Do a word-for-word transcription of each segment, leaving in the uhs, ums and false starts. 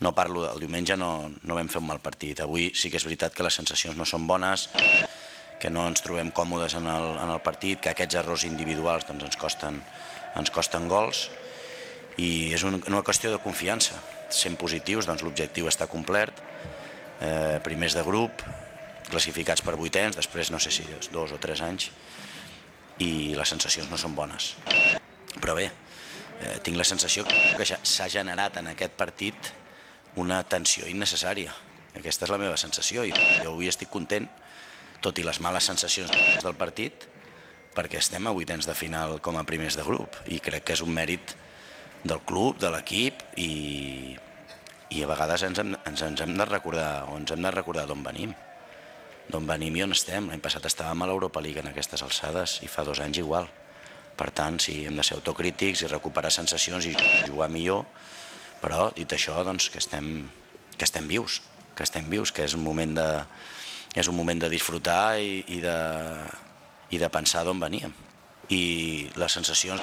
no parlo del diumenge, no, no vam fer un mal partit. Avui sí que és veritat que les sensacions no són bones, que no ens trobem còmodes en el, en el partit, que aquests errors individuals doncs, ens, costen, ens costen gols, i és un, una qüestió de confiança. Sent positius, doncs l'objectiu està complert, eh, primers de grup, classificats per vuitens, després no sé si dos o tres anys, i les sensacions no són bones. Però bé, eh, tinc la sensació que s'ha generat en aquest partit una tensió innecessària. Aquesta és la meva sensació, i jo avui estic content, tot i les males sensacions del partit, perquè estem a vuitens de final com a primers de grup, i crec que és un mèrit del club, de l'equip, i, i a vegades ens hem, ens, ens hem de recordar, o ens hem de recordar d'on venim. D'on venim i on estem. L'any passat estàvem a l'Europa League en aquestes alçades, i fa dos anys igual. Per tant, sí, hem de ser autocrítics i recuperar sensacions i jugar millor, però, dit això, doncs, que estem, que estem vius, que estem vius, que és un moment de, és un moment de disfrutar i, i, de, i de pensar d'on veníem. I les sensacions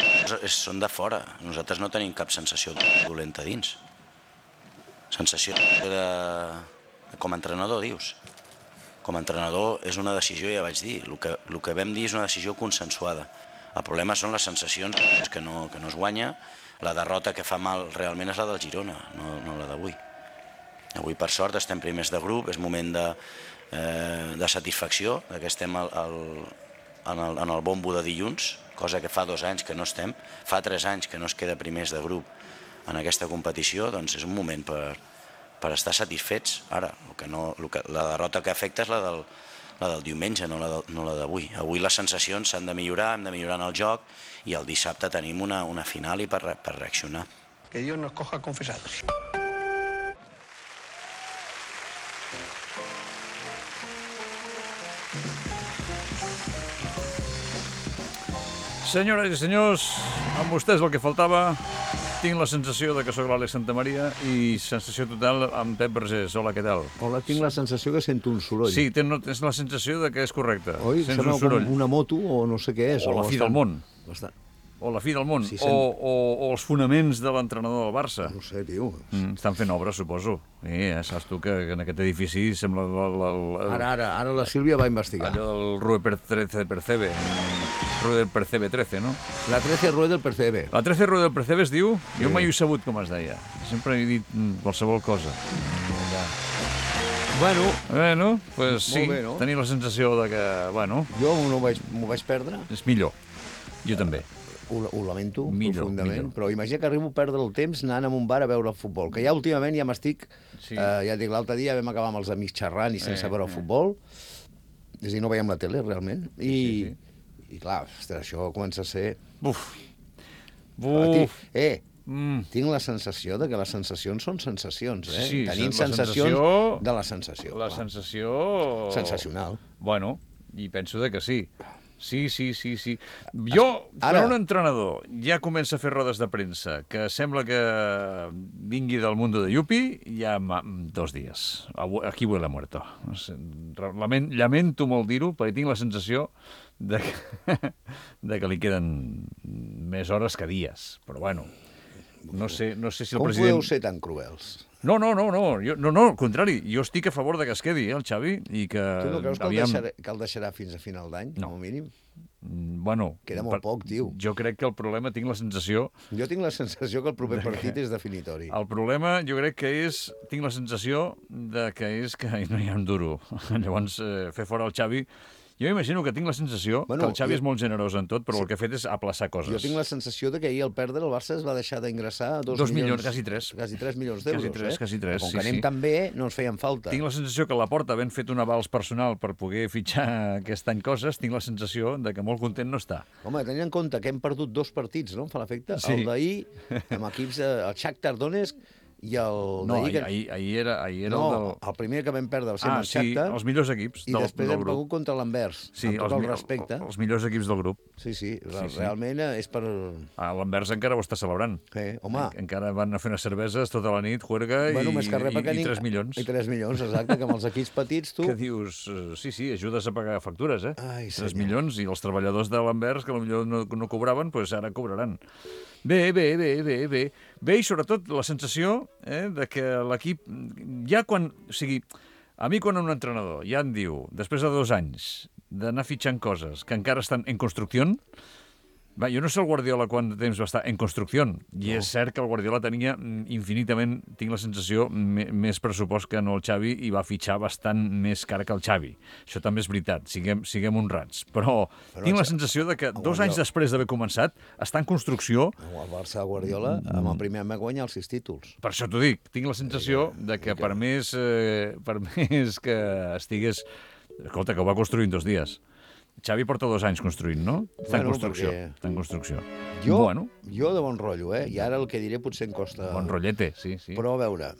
són de fora. Nosaltres no tenim cap sensació dolenta dins. Sensació de... Com a entrenador, dius? Com a entrenador és una decisió, ja vaig dir, el que, el que vam dir és una decisió consensuada. El problema són les sensacions que no, que no es guanya. La derrota que fa mal realment és la del Girona, no, no la d'avui. Avui, per sort, estem primers de grup, és moment de, eh, de satisfacció, que estem al, al, en, el, en el bombo de dilluns, cosa que fa dos anys que no estem, fa tres anys que no es queda primers de grup en aquesta competició, doncs és un moment per, per estar satisfets. Ara, el que no, el que, la derrota que afecta és la del, la del diumenge, no la, de, no la d'avui. Avui les sensacions s'han de millorar, hem de millorar en el joc, i el dissabte tenim una, una final i per, per reaccionar. Que Dios nos coja confesados. Senyores i senyors, amb vostès el que faltava. Tinc la sensació de que sóc l'Àlex Santamaria i sensació total amb Pep Vergés. Hola, què tal? Hola, tinc la sensació que sento un soroll. Sí, tens la sensació de que és correcte. Oi? Sents Sembla un soroll. com una moto o no sé què és. O la fi del món. Bastant. O la fi del món. Sí, o, o, o els fonaments de l'entrenador del Barça. No sé, tio. Mm, estan fent obres, suposo. Sí, ja saps tu que en aquest edifici sembla... La, la, la, Ara, ara, ara la Sílvia va investigar. Allò del Rue trece Percebe. Rue del Percebe trece, no? La trece Rue del Percebe. La trece Rue del Percebe es diu? Sí. Jo mai ho he sabut com es deia. Sempre he dit qualsevol cosa. Ja. Bueno, bueno, pues sí, bé, no? Tenir la sensació de que, bueno... Jo m'ho vaig, m'ho vaig perdre. És millor. Jo també. Ho, ho lamento millor, profundament, millor. Però imagina que arribo a perdre el temps anant a un bar a veure el futbol, que ja últimament ja m'estic... Sí. Eh, ja dic, l'altre dia vam acabar amb els amics xerrant i sense Eh, veure el eh. futbol. És a dir, no veiem la tele, realment. I, Sí, sí. i clar, ostres, això comença a ser... Buf. Uf. Eh, Mm. tinc la sensació de que les sensacions són sensacions, eh? Sí, Tenim la sensacions sensació- de la sensació. La clar. sensació... Sensacional. Bueno, i penso de que sí. Sí, sí, sí, sí. Jo, Ara- per un entrenador, ja comença a fer rodes de premsa, que sembla que vingui del mundo de Yupi, ja ma- dos dies. Abu- Aquí huele a muerto. No sé, lament, lamento molt dir-ho, perquè tinc la sensació de que, de que li queden més hores que dies. Però bueno, no sé, no sé si el Com president... podeu ser tan cruels? No, no, no, no, jo, no, no, al contrari, jo estic a favor de que es quedi, eh, el Xavi, i que... Tu no creus que el, aviam- deixarà, que el deixarà fins a final d'any, No. com a mínim? Mm, Bueno... Queda molt poc, tio. Jo crec que el problema, tinc la sensació... Jo tinc la sensació que el proper partit és definitori. El problema, jo crec que és... Tinc la sensació de que és que no hi ha un duro. Llavors, eh, fer fora el Xavi... Jo imagino que tinc la sensació Bueno, que el Xavi jo- és molt generós en tot, però el que ha fet és aplaçar coses. Jo tinc la sensació de que ahir al perdre el Barça es va deixar d'ingressar dos, Dos milions, quasi tres. Quasi tres milions d'euros, Quasi tres, eh? quasi tres, Com sí, que anem sí. tan bé, no ens feien falta. Tinc la sensació que la Porta, havent fet un avals personal per poder fitxar aquest any coses, tinc la sensació de que molt content no està. Home, tenint en compte que hem perdut dos partits, no? Em fa l'efecte. Sí. El d'ahir, amb equips, eh, el Shakhtar Donetsk i el No, d'ahir... ahir, ahir, ahir era, ahir era no, el del... el primer que vam perdre va ser Ah, amb el sí, Shakhtar, els millors equips i del, després del hem grup. begut contra l'Anvers, Sí, amb tot els, el mi- respecte. els millors equips del grup. Sí, sí, Sí, sí. realment eh, és per... Ah, l'Anvers encara ho està celebrant. Eh, home, En, encara van a fer unes cerveses tota la nit, juerga i, bueno, més que res i, perquè i ning- tres milions. I tres milions, exacte, que amb els equips petits tu... Que dius, eh, sí, sí, ajudes a pagar factures, eh? Ai, tres senyor. milions, i els treballadors de l'Anvers, que potser no, no cobraven, doncs ara cobraran. Bé, bé, bé, bé, bé. Bé, i sobretot la sensació eh, de que l'equip, ja quan... O sigui, a mi quan un entrenador ja em diu, després de dos anys, d'anar fitxant coses que encara estan en construcció, va, jo no sé el Guardiola quant de temps va estar en construcció, i no. És cert que el Guardiola tenia infinitament, tinc la sensació, més pressupost que no el Xavi, i va fitxar bastant més cara que el Xavi. Això també és veritat, siguem, siguem honrats. Però, Però tinc la sensació de que dos Guardiola... anys després d'haver començat està en construcció... El Barça de Guardiola, amb el primer any va guanyar els sis títols. Per això t'ho dic, tinc la sensació de que per més, eh, per més que estigués... Escolta, que ho va construir en dos dies. Xavi porta dos anys construint, no? Està bueno, en construcció. Perquè... Està en construcció. Jo, bueno. jo de bon rotllo, eh? I ara el que diré potser em costa... Bon rotllete, sí, sí. Però a veure...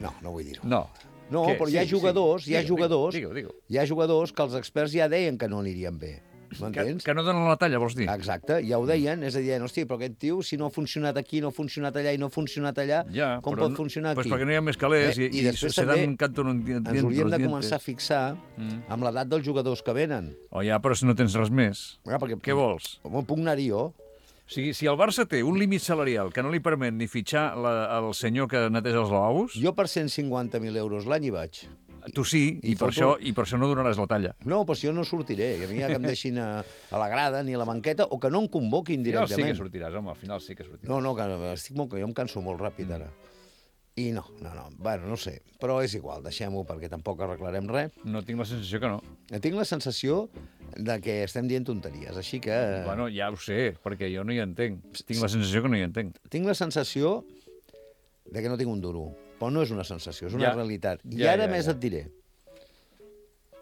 No, no vull dir-ho. No. No, Què? però hi ha sí, jugadors, sí. hi ha digue, jugadors, digue, digue. hi ha jugadors que els experts ja deien que no anirien bé. M'entens? Que, que no donen la talla, vols dir? Exacte, ja ho deien, és a dir, hosti, però aquest tio, si no ha funcionat aquí, no ha funcionat allà i no ha funcionat allà, ja, com pot funcionar aquí? Pues perquè no hi ha més calés eh, i, i, i després se també dan canto en un diente, ens hauríem de començar a fixar mm. amb l'edat dels jugadors que venen. Oh, ja, però si no tens res més. Ja, perquè, què vols? Com puc anar-hi jo? O sigui, si el Barça té un límit salarial que no li permet ni fitxar la, el senyor que neteja els lavabos... Jo per cent cinquanta mil euros l'any hi vaig. Tu sí, i, I, per això, i per això no donaràs la talla. No, però si jo no sortiré. A mi ja que em deixin a, a la grada ni a la banqueta, o que no em convoquin directament. Ja sí que sortiràs, home, al final sí que sortiràs. No, no, que estic molt, que jo em canso molt ràpid ara. I no, no, no, bueno, no sé. Però és igual, deixem-ho, perquè tampoc arreglarem res. No tinc la sensació que no. Tinc la sensació de que estem dient tonteries, així que... Bueno, ja ho sé, perquè jo no hi entenc. Tinc la sensació que no hi entenc. Tinc la sensació de que no tinc un duro. Però no és una sensació, és una ja. realitat. I ja, ara ja, més ja. et diré.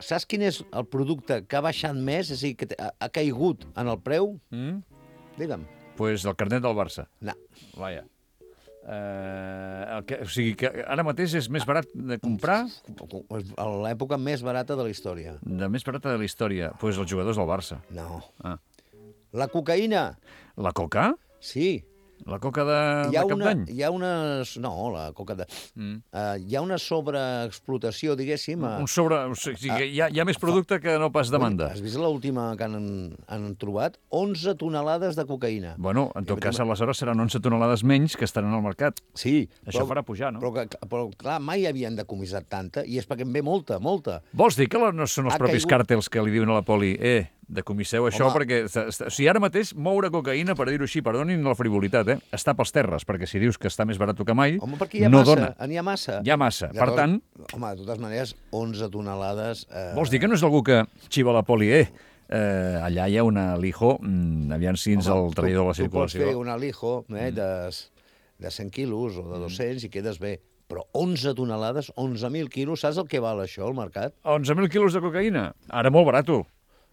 Saps quin és el producte que ha baixat més, és a dir, que ha, ha caigut en el preu? Mm? Digue'm. Doncs pues el carnet del Barça. No. Vaja. Uh, el que, o sigui que ara mateix és més barat de comprar... L'època més barata de la història. De més barata de la història. Doncs pues els jugadors del Barça. No. Ah. La cocaïna. La coca? Sí. La coca de, hi ha de cap una, d'any? Hi ha unes... No, la coca de... Mm. Uh, hi ha una sobreexplotació, diguéssim... A... Un sobre... O sigui, uh, hi, ha, hi ha més producte que no pas demanda. Has vist l'última que han, han trobat? onze tonelades de cocaïna. Bueno, en tot I cas, aleshores seran onze tonelades menys que estaran al mercat. Sí. Això però, farà pujar, no? Però, però, clar, mai havien decomissat tanta, i és perquè en ve molta, molta. Vols dir que no són els ha propis caigut... càrtels que li diuen a la poli, eh, decomisseu això, home, perquè... O sigui, ara mateix moure cocaïna, per dir-ho així, perdonin la frivolitat, eh, està pels terres, perquè si dius que està més barat que mai, home, perquè hi ha no massa, dona. N'hi ha massa. Hi ha massa. Per Llavors, tant... Home, de totes maneres, onze tonelades... Eh... Vols dir que no és algú que xiva la poli, eh? eh allà hi ha una lijo, mm, aviam si ens home, el traïdor de la circulació... Tu pots fer una lijo eh, de, de cent quilos o de dos-cents i quedes bé. Però onze tonelades, onze mil quilos, saps el que val això al mercat? onze mil quilos de cocaïna? Ara molt barato.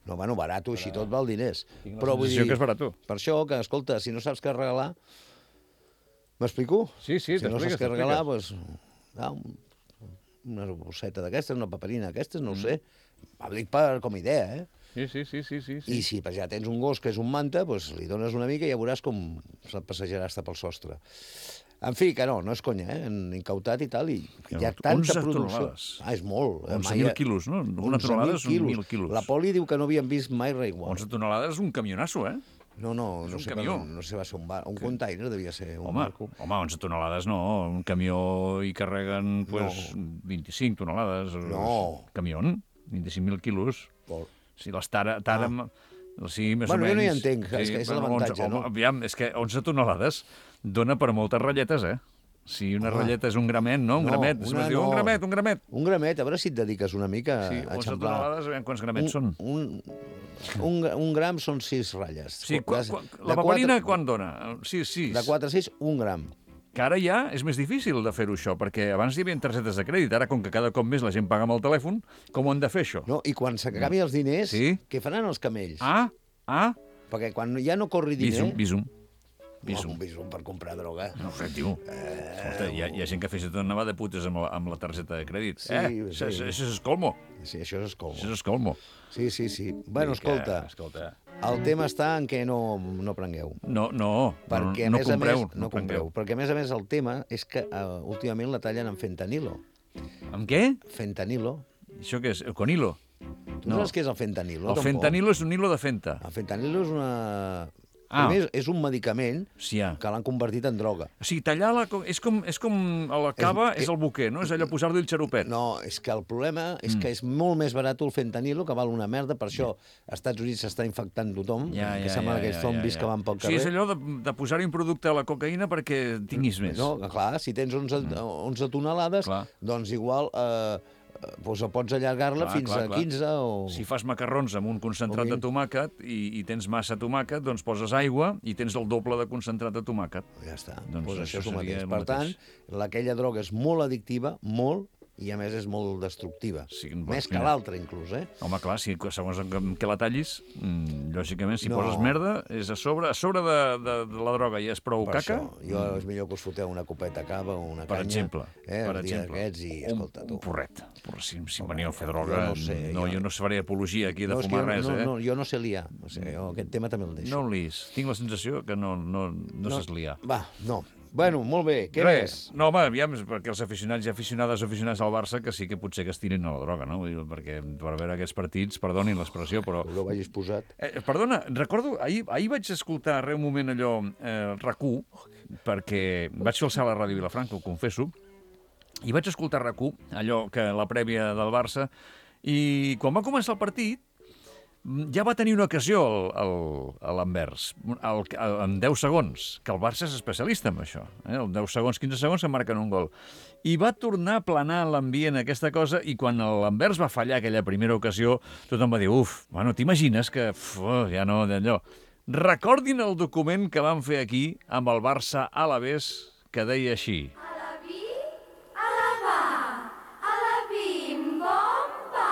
No, bueno, barato, així tot val diners. Tinc la però vull dir, que és barato. Per això, que, escolta, si no saps què regalar... M'explico? Sí, sí, si no saps què regalar, doncs... Ah, una bosseta d'aquestes, una paperina d'aquestes, no ho mm. sé. Ho dic per, com a idea, eh? Sí, sí, sí, sí, sí. I si ja tens un gos que és un manta, doncs li dones una mica i ja veuràs com se't passejarà hasta pel sostre. En fi, que no, no és conya, eh? Han incautat i tal, i hi ha tanta producció. Tonelades. Ah, és molt. onze mil quilos, no? Una tonelada és un mil quilos. La Poli diu que no havien vist mai res igual. onze tonelades és un camionasso, eh? No, no, no un sé, camió. no sé, va ser un, bar, un container, devia ser un home, barco. Home, onze tonelades no, un camió hi carreguen pues, no. vint-i-cinc tonelades. No. Camió, vint-i-cinc mil quilos. Por... Si les tara... tara ah. Sí, més bueno, o menys. Jo no hi entenc, sí, és que és bueno, l'avantatge, no? no? Aviam, és que onze tonelades dona per moltes ratlletes, eh? Si una home. ratlleta és un gramet, no? Un no, gramet. Si diu, no. Un gramet, un gramet. Un gramet, a veure si et dediques una mica sí, a eixamplar. onze tonelades, aviam quants gramets un, són. Un, un, un gram són sis ratlles. Sí, qua, qua, la paperina quatre, quan dona? Sí, sis. De quatre a sis, un gram. Que ara ja és més difícil de fer-ho això, perquè abans hi havia targetes de crèdit, ara com que cada cop més la gent paga amb el telèfon, com ho han de fer això? No, i quan s'acabi els diners, sí? Què faran els camells? Ah, ah. Perquè quan ja no corri diner... Visum, visum. Visum. Oh, un visum per comprar droga. No ho sé, tio. Eh... Escolta, hi ha, hi ha gent que fa tot anar de putes amb la, amb la targeta de crèdit. Sí, eh? sí. Això és escolmo. Sí, això és escolmo. Això és escolmo. Sí, sí, sí. Bueno, escolta, que, escolta, el tema està en què no, no prengueu. No, no, perquè, no, no a més compreu. A més, no, no compreu. Perquè, a més a més, el tema és que uh, últimament la tallen amb fentanilo. Amb què? Fentanilo. Això què és? El conilo? Tu no saps què és el fentanilo? El tampoc? fentanilo és un hilo de fenta. El fentanilo és una... Ah. Primer, és un medicament Sí, ja. que l'han convertit en droga. O sigui, tallar la... co- És com, és com a la cava, és, És- el buquer, no? És allò posar-li el xarupet. No, és que el problema és que és molt més barat el fentanilo, que val una merda, per això als Estats Units s'està infectant tothom, Ja, que ja, sembla ja, aquests ja, zombis ja, que ja. van pel O sigui, carrer. és allò de, de posar-hi un producte a la cocaïna perquè tinguis més. No, clar, si tens onze, onze tonelades, Clar. doncs igual eh, doncs pots allargar-la Clar, fins clar, a clar. quinze o... Si fas macarrons amb un concentrat O de vint. tomàquet i, i tens massa tomàquet, doncs poses aigua i tens el doble de concentrat de tomàquet. Ja està, Doncs doncs, això això és el seria mateix. el Per tant, mateix. aquella droga és molt addictiva, molt, i a més és molt destructiva. Sí, doncs Més que mira. l'altra, inclús, eh? Home, clar, si, segons amb què la tallis, mm, lògicament, si No. poses merda, és a sobre, a sobre de, de, de la droga i és prou Per caca, això, jo és millor que us foteu una copeta cava o una per canya, exemple, eh, per el dia exemple, d'aquests i, un, escolta, tu. un porret. Porret, si, si Home, veniu a fer jo droga, no sé, no, jo- jo no faré apologia aquí de No, és que fumar jo, res, no, eh? no, jo no sé liar, o sigui, jo aquest tema també el deixo. No el lis. Tinc la sensació que no, no, no, no saps liar. Va, no. Bueno, molt bé, què Res. més? No, home, aviam, perquè els aficionats i aficionades aficionats al Barça que sí que potser que es tirin a la droga, no? Vull dir, perquè per veure aquests partits, perdonin l'expressió, però... No vagis posat. Eh, perdona, recordo, ahir, ahir vaig escoltar re un moment allò, eh, RAC u, perquè vaig fer el salt a Ràdio Vilafranca, ho confesso, i vaig escoltar RAC u, allò que la prèvia del Barça, i quan va començar el partit, ja va tenir una ocasió el- el- a l'Anvers, el- el- en deu segons, que el Barça és especialista en això. Eh? En deu segons, quinze segons, que marquen un gol. I va tornar a planar l'ambient aquesta cosa, i quan l'Anvers va fallar aquella primera ocasió, tothom va dir, uf, bueno, t'imagines que uf, oh, ja no, d'allò. Recordin el document que van fer aquí amb el Barça a l'Alavés, que deia així. Alaví, alabà, alabim, bomba.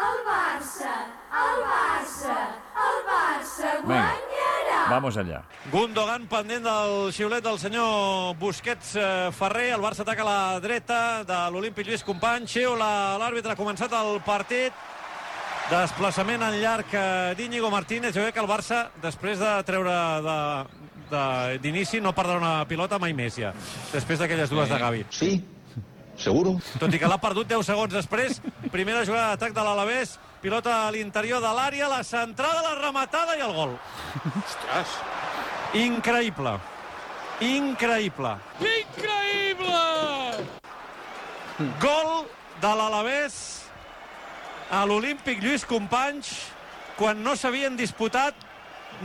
El Barça, el Barça, el Barça Vinga, guanyarà. vamos allà. Gundogan pendent del xiulet del senyor Busquets eh, Ferrer. El Barça ataca a la dreta de l'Olímpic Lluís Companys. Xiula l'àrbitre, ha començat el partit. Desplaçament en llarg eh, d'Íñigo Martínez. Jo crec que el Barça, després de treure de, de, d'inici, no perdrà una pilota mai més ja, després d'aquelles dues de Gavi. Sí, seguro. Tot i que l'ha perdut deu segons després. Primera jugada d'atac de l'Alavés. Pilota a l'interior de l'àrea, la centrada, la rematada i el gol. Ostres. Increïble. Increïble. Increïble! Gol de l'Alavés a l'Olímpic Lluís Companys quan no s'havien disputat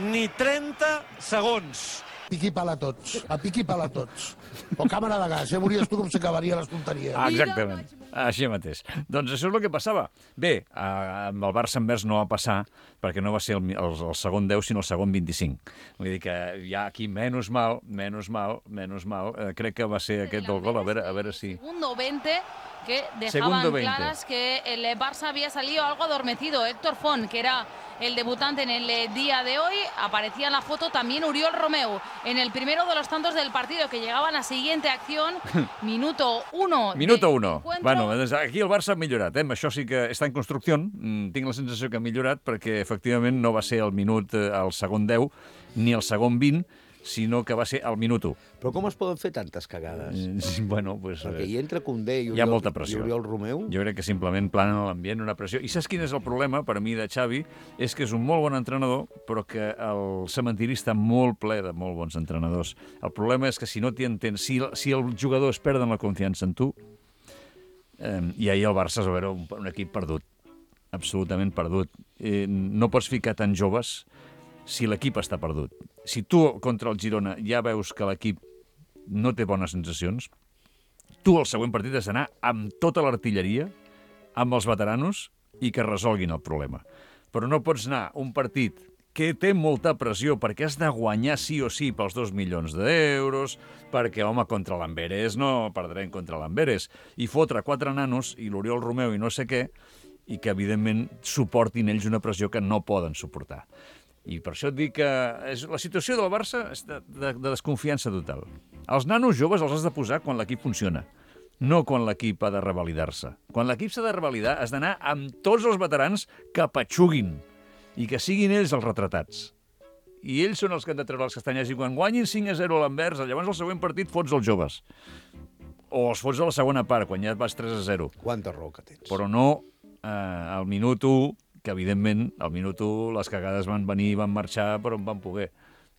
ni trenta segons. Piqui pala a tots, a piqui pala a tots. O càmera de gas, ja veuries tu com s'acabaria les tonteries. Ah, exactament, així mateix. Doncs això és el que passava. Bé, eh, amb el Barça envers no va passar, perquè no va ser el, el, el segon deu, sinó el segon vint-i-cinc. Vull dir que ja aquí, menys mal, menys mal, menys mal, eh, crec que va ser aquest del gol, a veure, a veure si... Segundo veinte, que dejaban Segundo veinte. claras que el Barça había salido algo adormecido. Héctor Font, que era el debutante en el eh, día de hoy, aparecía en la foto también Oriol Romeu, en el primero de los tantos del partido, que llegaba a la siguiente acción, minuto uno. Minuto del uno. encuentro. Bueno, doncs aquí el Barça ha millorat, eh? Això sí que està en construcció. Mm, tinc la sensació que ha millorat perquè, efectivament, no va ser el minut eh, al segon deu ni el segon vint, sinó que va ser al minut u. Però com es poden fer tantes cagades? Eh, Bueno, pues, Perquè eh, hi entra Koundé i hi ha Oriol, molta pressió. i Oriol Romeu. Jo crec que simplement plana en l'ambient una pressió. I saps quin és el problema, per a mi, de Xavi? És que és un molt bon entrenador, però que el cementiri està molt ple de molt bons entrenadors. El problema és que si no t'hi entens, si, si el jugador es perden la confiança en tu, eh, i ahir el Barça és a veure, un, un equip perdut, absolutament perdut. Eh, no pots ficar tan joves si l'equip està perdut. Si tu contra el Girona ja veus que l'equip no té bones sensacions, tu al següent partit has d'anar amb tota l'artilleria, amb els veteranos, i que resolguin el problema. Però no pots anar un partit que té molta pressió perquè has de guanyar sí o sí pels dos milions d'euros, perquè, home, contra l'Amberes no perdrem contra l'Amberes, i fotre quatre nanos i l'Oriol Romeu i no sé què, i que, evidentment, suportin ells una pressió que no poden suportar. I per això et dic que és, la situació del Barça és de, de, de desconfiança total. Els nanos joves els has de posar quan l'equip funciona, no quan l'equip ha de revalidar-se. Quan l'equip s'ha de revalidar has d'anar amb tots els veterans que patxuguin i que siguin ells els retratats. I ells són els que han de treure les castanyes, i quan guanyin cinc a zero a l'Anvers, llavors al següent partit fots els joves. O els fots a la segona part, quan ja et vas tres a zero. Quanta raó que tens. Però no eh, al minut u, que evidentment al minut u les cagades van venir i van marxar per on van poder.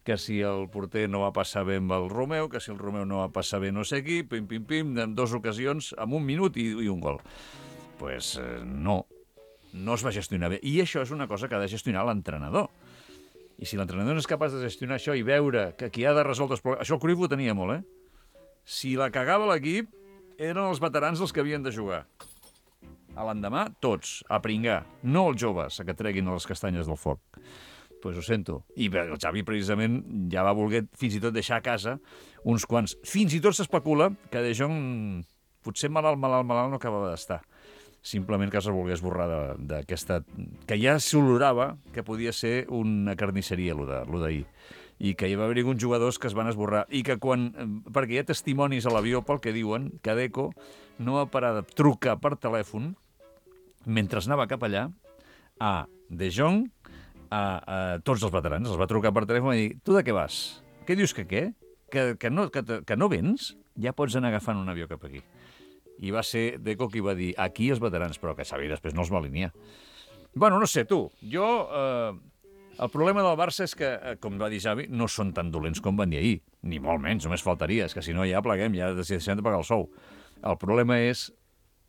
Que si el porter no va passar bé amb el Romeu, que si el Romeu no va passar bé no sé qui, pim, pim, pim, en dues ocasions, amb un minut i, i un gol. Doncs pues, eh, no, no es va gestionar bé. I això és una cosa que ha de gestionar l'entrenador. I si l'entrenador no és capaç de gestionar això i veure que qui ha de resoldre els problemes... Això el Cruyff ho tenia molt, eh? Si la cagava l'equip, eren els veterans els que havien de jugar. A l'endemà, tots, a pringar. No els joves, a que treguin les castanyes del foc. Doncs pues ho sento. I bé, el Xavi, precisament, ja va voler fins i tot deixar a casa uns quants. Fins i tot s'especula que De Jong, potser malalt, malalt, malalt, no acabava d'estar. Simplement que es volgués esborrar d'aquesta... que ja s'olorava que podia ser una carnisseria, allò d'ahir. I que hi va haver uns jugadors que es van esborrar. I que quan... perquè hi ha testimonis a l'avió pel que diuen que Deco no va parar de trucar per telèfon mentre anava cap allà a De Jong, a, a tots els veterans. Els va trucar per telèfon i dir, tu de què vas? Què dius que què? Que, que, no, que, que no vens? Ja pots anar agafant un avió cap aquí. I va ser Deco qui va dir, aquí els veterans, però que Xavi després no els va alinear. Bueno, no sé, tu, jo... Eh, el problema del Barça és que, eh, com va dir Xavi, no són tan dolents com van dir ahir. Ni molt menys, només faltaria. És que si no ja pleguem, ja deixem de pagar el sou. El problema és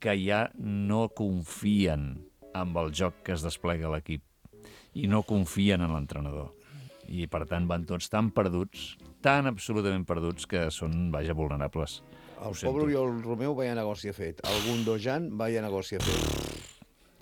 que ja no confien amb el joc que es desplega a l'equip. I no confien en l'entrenador. I, per tant, van tots tan perduts, tan absolutament perduts, que són, vaja, vulnerables. El pobre Oriol Romeu vaya negoci ha fet. El Gundogan vaya negoci ha fet.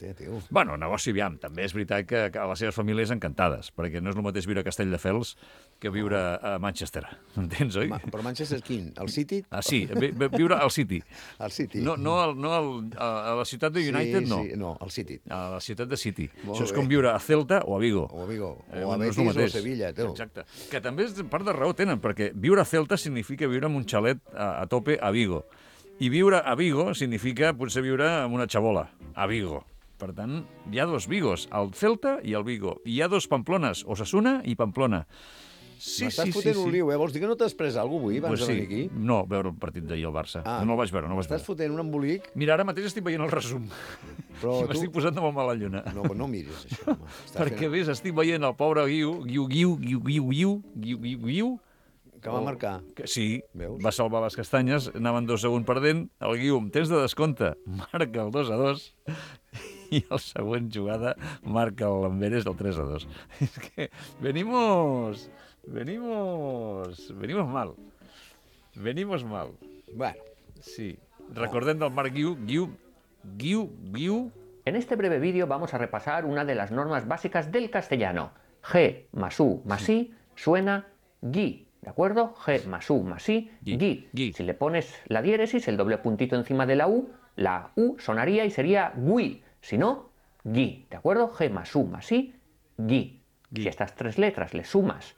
Té, tio. Bueno, negoci, aviam. També és veritat que, que a les seves famílies encantades, perquè no és el mateix viure a Castelldefels que viure a Manchester. Entens, oi? Ma, però Manchester quin? El City? Ah, sí, vi, viure al City. Al City. No, no, al, no al, a la ciutat de United, sí, no. Sí, no, al City. A la ciutat de City. Molt Això és bé. com viure a Celta o a Vigo. O a Vigo. Eh, O a no és Betis el o a mateix. Sevilla, teu. Exacte. Que també és part de raó tenen, perquè viure a Celta significa viure en un xalet a, a tope a Vigo. I viure a Vigo significa potser viure en una xabola, a Vigo. Per tant, hi ha dos Vigos, el Celta i el Vigo. I hi ha dos Pamplones, Osasuna i Pamplona. Sí, M'estàs sí, fotent sí, un sí. lío, eh? Vols dir que no t'has pres alguna cosa avui abans Pues de sí. venir aquí? No, veure el partit d'ahir al Barça. Ah. No el vaig veure, no el vaig Estàs veure. fotent un embolic, Mira, ara mateix estic veient el resum. però I tu... m'estic posant de molt mala lluna. No, però no miris això, home. Estàs Perquè, fent... ves, estic veient el pobre Guiu, Guiu, Guiu, Guiu, Guiu, Guiu, Guiu, Guiu, Guiu, Que va marcar. que sí, Veus? va salvar les castanyes, anaven dos segons perdent, el Guiu amb temps de descompte marca el dos a dos i el següent jugada marca el Lamberes el tres a dos. És que venimos, venimos, venimos mal, venimos mal. Bueno, Sí, recordem del Marc Guiu, Guiu, Guiu, Guiu. En este breve vídeo vamos a repasar una de las normas básicas del castellano. G más U más I suena gui, ¿de acuerdo? G más U más I, Gui, gui. gui. Si le pones la diéresis, el doble puntito encima de la U, la U sonaría y sería gui. Si no, gui, ¿de acuerdo? G más U más I, gui. Gui. Si a estas tres letras le sumas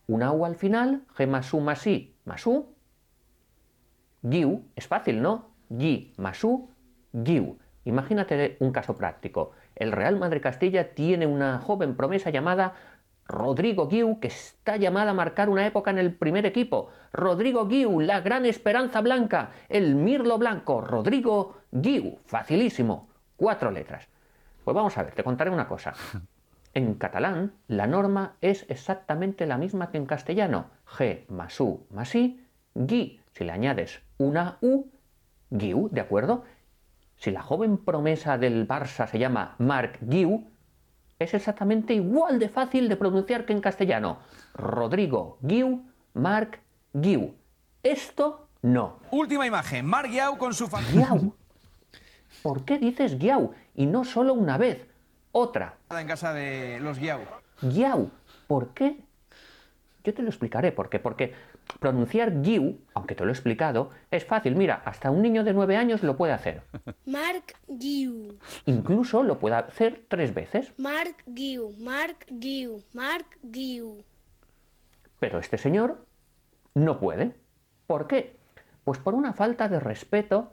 una U al final, G más U más I más U, Guiu, es fácil, ¿no? Gui más U, Guiu. Imagínate un caso práctico. El Real Madrid Castilla tiene una joven promesa llamada Rodrigo Guiu, que está llamada a marcar una época en el primer equipo. Rodrigo Guiu, la gran esperanza blanca, el mirlo blanco. Rodrigo Guiu, facilísimo. Cuatro letras. Pues vamos a ver, te contaré una cosa. En catalán, la norma es exactamente la misma que en castellano. G más U más I, Gui. Si le añades una U, Guiu, ¿de acuerdo? Si la joven promesa del Barça se llama Marc Guiu, es exactamente igual de fácil de pronunciar que en castellano. Rodrigo Guiu, Marc Guiu. Esto no. Última imagen, Marc Guiau con su familia. Guiau. ¿Por qué dices Guiau? Y no solo una vez. Otra. En casa de los Guiau. Guiau. ¿Por qué? Yo te lo explicaré por qué. Porque pronunciar Guiu, aunque te lo he explicado, es fácil. Mira, hasta un niño de nueve años lo puede hacer. Marc Guiu. Incluso lo puede hacer tres veces. Marc Guiu. Marc Guiu. Marc Guiu. Pero este señor no puede. ¿Por qué? Pues por una falta de respeto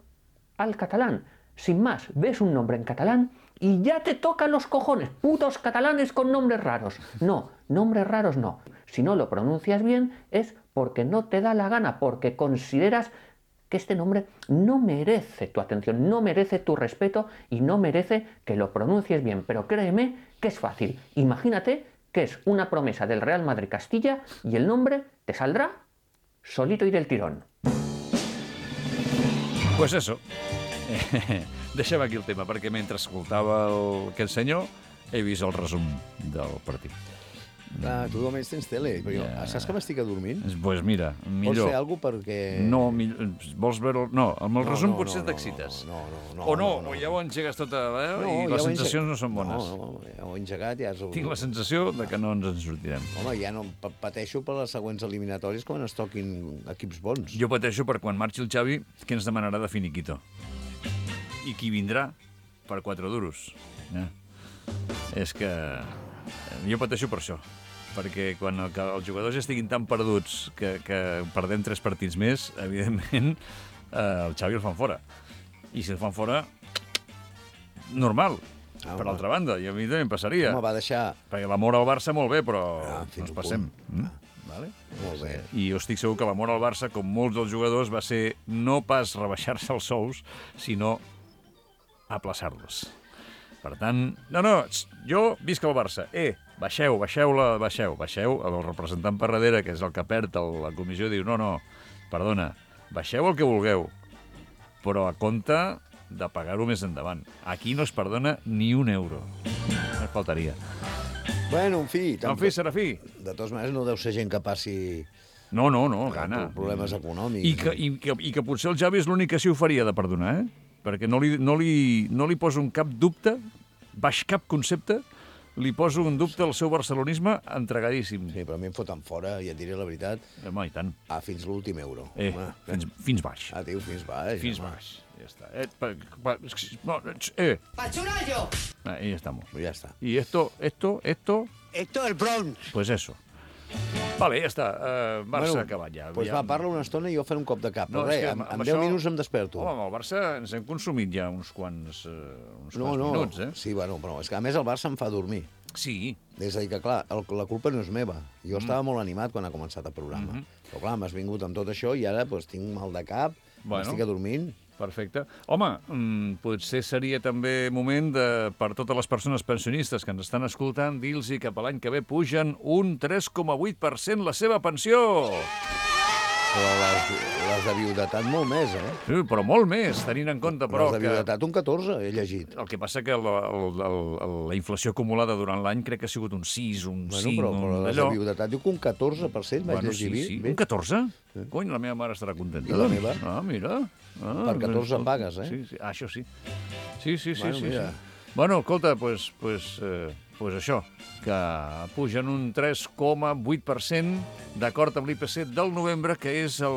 al catalán. Sin más, ves un nombre en catalán y ya te tocan los cojones. Putos catalanes con nombres raros. No, nombres raros no. Si no lo pronuncias bien es porque no te da la gana, porque consideras que este nombre no merece tu atención, no merece tu respeto y no merece que lo pronuncies bien. Pero créeme que es fácil. Imagínate que es una promesa del Real Madrid Castilla y el nombre te saldrá solito y del tirón. Pues eso. Deixem aquí el tema, perquè mentre escoltava el... aquest senyor he vist el resum del partit. Ah, tu almenys tens tele, però jo, Ja. saps que m'estic adormint? Doncs pues mira, millor. Vols fer alguna cosa perquè... No, millor, vols veure... No, amb el No, resum no, potser no, t'excites. no, no, no, O no, no, no. o ja ho engegues tot a... Eh? No, I ja les ho he sensacions engegat. no són bones. No, no, ja ho he engegat, ja és... Tinc la sensació de que no ens en sortirem. Home, ja no pa- pateixo per les següents eliminatòries quan es toquin equips bons. Jo pateixo per quan marxi el Xavi, que ens demanarà de finiquito. I qui vindrà per quatre duros. Eh? És que... Jo pateixo per això. Perquè quan el, els jugadors estiguin tan perduts que, que perdem tres partits més, evidentment, eh, el Xavi el fan fora. I si el fan fora, normal. Ah, per home. altra banda, i a mi també em passaria. Home, va deixar... Perquè l'amor al Barça molt bé, però Ah, no fins ens un passem. punt. Mm? Vale? Molt bé. I jo estic segur que l'amor al Barça, com molts dels jugadors, va ser no pas rebaixar-se els sous, sinó aplaçar-los. Per tant, no, no, tx, jo visc el Barça. Eh, baixeu, baixeu-la, baixeu, baixeu. El representant per darrere, que és el que perd el, la comissió, diu, no, no, perdona, baixeu el que vulgueu, però a compte de pagar-ho més endavant. Aquí no es perdona ni un euro. No faltaria. Bueno, en fi... En fi, Serafí. De totes maneres, no deu ser gent que passi... No, no, no, gana. Problemes econòmics. I que, i, que, I que potser el Xavi és l'únic que s'hi ho faria de perdonar, eh? Perquè no li, no, li, no li poso un cap dubte, baix cap concepte, li poso un dubte al seu barcelonisme entregadíssim. Sí, però a mi em foten fora, i et diré la veritat, Home, i tant. ah, fins l'últim euro. Eh, Home, fins, fins baix. Ah, tio, fins baix. Fins home. baix. Ja està. Eh, pa, pa, no, eh. ¡Pachurallo! Ahí estamos. Ya está. Y esto, esto, esto... Esto es el Bronx. Pues eso. Vale, ja està. Uh, Barça Bueno, acabat ja. Doncs ja... va, parla una estona i jo faré un cop de cap. No, Però és res, que en, amb en això- deu minuts em desperto. Home, amb el Barça ens hem consumit ja uns quants, uh, uns no, quants no, minuts, eh? sí, bueno, però és que a més el Barça em fa dormir. Sí. És a dir, que clar, el, la culpa no és meva. Jo mm. estava molt animat quan ha començat el programa. Mm -hmm. Però clar, m'has vingut amb tot això i ara pues, tinc mal de cap, Bueno. m'estic adormint. Perfecte. Home, mmm, potser seria també moment de, per totes les persones pensionistes que ens estan escoltant, dir-los que per l'any que ve pugen un tres coma vuit per cent la seva pensió. Però les, les de viudetat molt més, eh? Sí, però molt més, tenint en compte, però, les de que... viudetat un catorze, he llegit. El que passa que la, la, la, la inflació acumulada durant l'any crec que ha sigut un sis, un Bueno, cinc, però, però un les de viudetat diu que un catorze per cent vaig Bueno, llegir. sí, sí. bé. Un catorze? Sí. Cony, la meva mare estarà contenta. I la doncs. meva? Ah, mira. Ah, Per catorze mira, pagues, eh? Sí, sí. Ah, això sí. Sí, sí, sí. Bueno, sí, mira. sí. Bueno, escolta, pues, pues, eh, pues això, que pugen un tres coma vuit per cent d'acord amb l'I P C del novembre, que és el,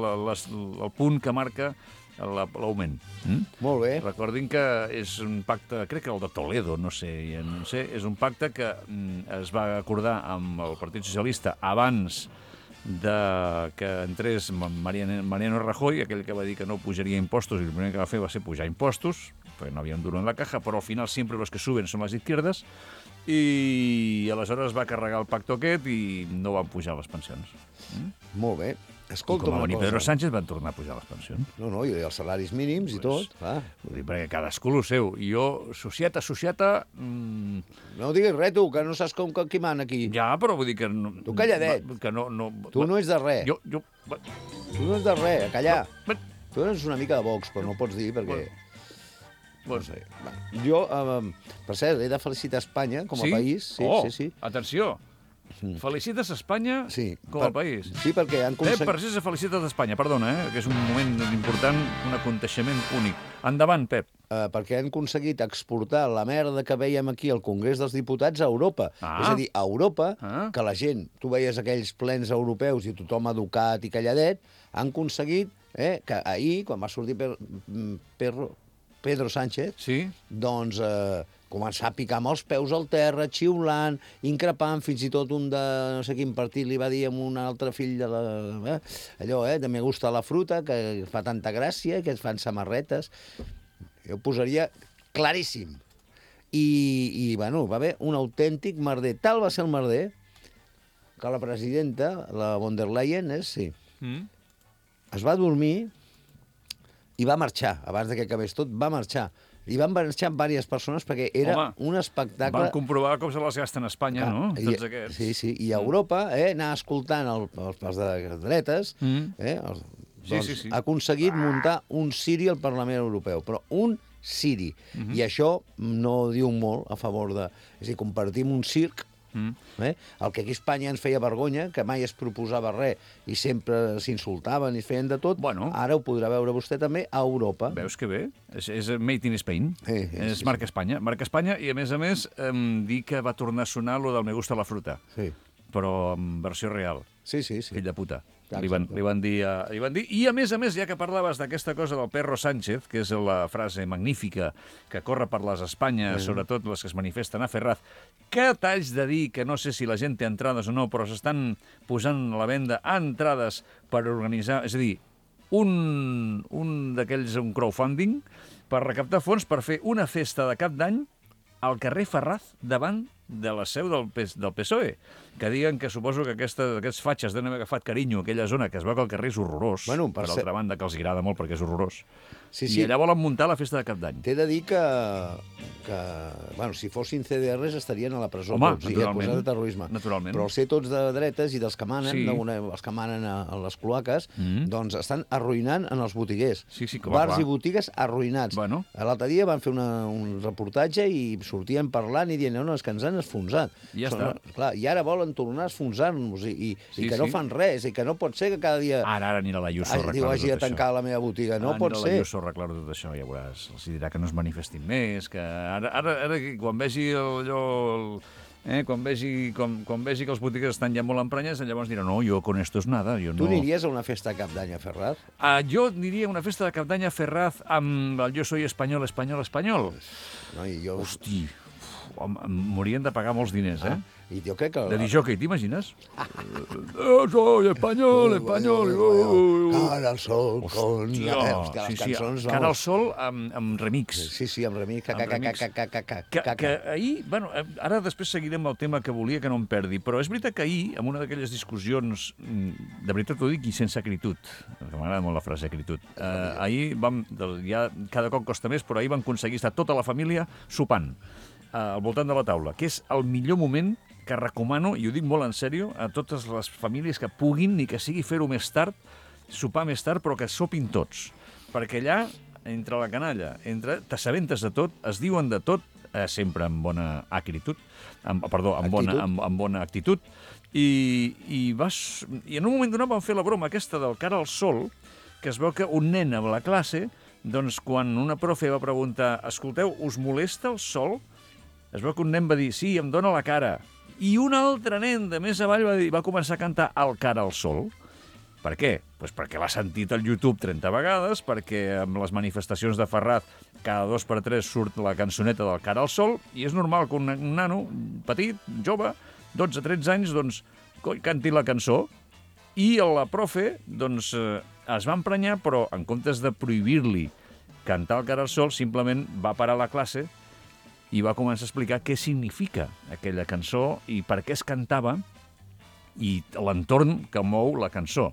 la, les, el punt que marca la- l'augment. Mm? Molt bé. Recordin que és un pacte, crec que el de Toledo, no sé, ja no sé, és un pacte que mm, es va acordar amb el Partit Socialista abans de que entrés Mariano, Mariano Rajoy, aquell que va dir que no pujaria impostos, i el primer que va fer va ser pujar impostos, perquè no havia un duro en la caja, però al final sempre los que suben són les izquierdes, i aleshores va carregar el pacte aquest i no van pujar les pensions. Mm? Molt bé. I Escolta com va una venir cosa. Pedro Sánchez van tornar a pujar les pensions. No, no, i els salaris mínims i tot. Clar. Vull dir, perquè cadascú el seu. I jo, societa, societa... Mmm... No diguis res, tu, que no saps com que qui mana aquí. Ja, però vull dir que... No, Tu calladet. Que no, no, Tu no ets de res. Jo, jo... Tu no ets de res, a callar. Tu eres una mica de Vox, però no pots dir perquè... Bueno. No sé. Va. Jo, eh, per cert, he de felicitar Espanya com a Sí? país. Sí, Oh, sí, sí. atenció. Felicites a Espanya Sí, com per- a país. Sí, perquè han Pep aconseguit... Parcés se felicita d'Espanya, perdona, eh, que és un moment important, un aconteixement únic. Endavant, Pep. Eh, perquè han aconseguit exportar la merda que veiem aquí al Congrés dels Diputats a Europa. Ah. És a dir, a Europa, Ah. que la gent, tu veies aquells plens europeus i tothom educat i calladet, han aconseguit eh, que ahir, quan va sortir per, Perro, Pedro Sánchez, sí? doncs eh, començar a picar amb els peus al terra, xiulant, increpant, fins i tot un de no sé quin partit li va dir a un altre fill de la... Eh, allò, eh, de me gusta la fruta, que fa tanta gràcia, que es fan samarretes. Jo ho posaria claríssim. I, i bueno, va haver un autèntic merder. Tal va ser el merder que la presidenta, la von der Leyen, és, sí, Mm? es va dormir i va marxar, abans de que acabés tot, va marxar. I van marxar diverses persones perquè era Home, un espectacle... Van comprovar com se les gasten a Espanya, Clar, no? i- Tots aquests. Sí, sí, i a Europa, eh, anar escoltant el, els, els de dretes, Mm. eh, els, Sí, doncs, sí, sí. ha aconseguit muntar un Siri al Parlament Europeu, però un Siri. Mhm. I això no diu molt a favor de... És a dir, compartim un circ, Mm. eh? El que aquí a Espanya ens feia vergonya, que mai es proposava res i sempre s'insultaven i es feien de tot, bueno. ara ho podrà veure vostè també a Europa. Veus que bé? És, és Made in Spain. Sí, sí, és sí, marca Espanya. Marca Espanya i, a més a més, em, dir que va tornar a sonar lo del Me gusta la fruta. Sí. Però en versió real. Sí, sí, sí. Fill de puta. Exacte. Li van, li, van dir, a- li van dir. I, a més a més, ja que parlaves d'aquesta cosa del Perro Sánchez, que és la frase magnífica que corre per les Espanyes, Sí. sobretot les que es manifesten a Ferraz, que t'haig de dir que no sé si la gent té entrades o no, però s'estan posant a la venda entrades per organitzar... És a dir, un, un d'aquells, un crowdfunding, per recaptar fons per fer una festa de cap d'any al carrer Ferraz davant de la seu del, P- del P S O E, que diguen que suposo que aquesta, aquests fatxes deuen haver agafat carinyo a aquella zona, que es veu que el carrer és horrorós, Bueno, per, per per ser- altra banda, que els agrada molt perquè és horrorós. Sí, I sí. allà volen muntar la festa de cap d'any. T'he de dir que, que bueno, si fossin C D Rs estarien a la presó Home, tots, i naturalment. acusats de terrorisme. Naturalment. Però al ser tots de dretes i dels que manen, Sí. sí. d'una, els que manen a, a les cloaques, Mm. doncs estan arruïnant en els botiguers. Sí, sí, clar, Bars clar. i botigues arruïnats. Bueno. L'altre dia van fer una, un reportatge i sortien parlant i dient no, no, és que ens han esfonsat. Ja Però, està. Clar, I ara volen tornar a esfonsar-nos i, i, Sí, i que no sí. fan res, i que no pot ser que cada dia Ara, ara anirà la Ayuso a hagi, diu, arreglar hagi de tot això. tancar la meva botiga. No Ara pot anirà ser. la Ayuso a arreglar tot això, ja veuràs. Els dirà que no es manifestin més, que ara, ara, ara quan vegi el, allò... El, eh, quan, vegi, quan, quan vegi que els botiguers estan ja molt emprenyats, llavors dirà, no, jo con esto es nada. Jo Tu no... aniries a una festa de cap d'any a Ferraz? Uh, jo aniria a una festa de cap d'any a Ferraz amb el Jo soy espanyol, espanyol, espanyol. No, i jo... Hosti, em, em morien de pagar molts diners, eh? Ah, I jo crec que... De disjockey, t'imagines? Yo soy español, español. Cara al sol, con... Hòstia, Eh, hòstia, sí, les sí, cançons... Cara al vamos. sol amb, amb remix. Sí, sí, amb remix. Ca, Amb ca, ca, remix. ca, ca, ca, ca, Que, ca, que ca. ahir, bueno, eh, ara després seguirem el tema que volia que no em perdi, però és veritat que ahir, en una d'aquelles discussions, mm, de veritat ho dic, i sense acritud, que m'agrada molt la frase acritud, eh, ahir vam, del- ja cada cop costa més, però ahir vam aconseguir estar tota la família sopant eh, al voltant de la taula, que és el millor moment que recomano, i ho dic molt en sèrio, a totes les famílies que puguin, ni que sigui fer-ho més tard, sopar més tard, però que sopin tots. Perquè allà, entre la canalla, entre t'assabentes de tot, es diuen de tot, eh, sempre amb bona acritud, amb, perdó, amb bona, Actitud. amb, amb bona actitud, i, i, vas, i en un moment donat vam fer la broma aquesta del cara al sol, que es veu que un nen a la classe, doncs quan una profe va preguntar escolteu, us molesta el sol? Es veu que un nen va dir sí, em dóna la cara. I un altre nen de més avall va, dir, va començar a cantar el cara al sol. Per què? Pues perquè l'ha sentit al YouTube trenta vegades, perquè amb les manifestacions de Ferraz cada dos per tres surt la cançoneta del cara al sol, i és normal que un, un nano petit, jove, dotze tretze anys, doncs, coi, canti la cançó, i la profe doncs, eh, es va emprenyar, però en comptes de prohibir-li cantar el cara al sol, simplement va parar la classe i va començar a explicar què significa aquella cançó i per què es cantava i l'entorn que mou la cançó.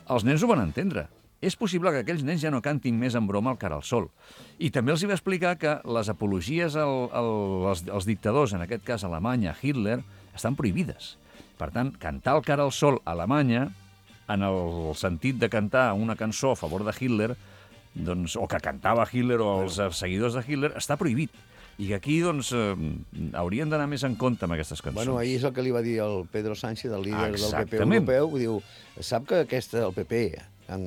Els nens ho van entendre. És possible que aquells nens ja no cantin més en broma el cara al sol. I també els hi va explicar que les apologies al, al, als, als dictadors, en aquest cas Alemanya, Hitler, estan prohibides. Per tant, cantar el cara al sol a Alemanya, en el sentit de cantar una cançó a favor de Hitler, doncs, o que cantava Hitler o els seguidors de Hitler, està prohibit. I que aquí, doncs, eh, haurien d'anar més en compte amb aquestes cançons. Bueno, ahir és el que li va dir el Pedro Sánchez, el líder del P P Exactament. europeu, diu, sap que aquesta, el P P, en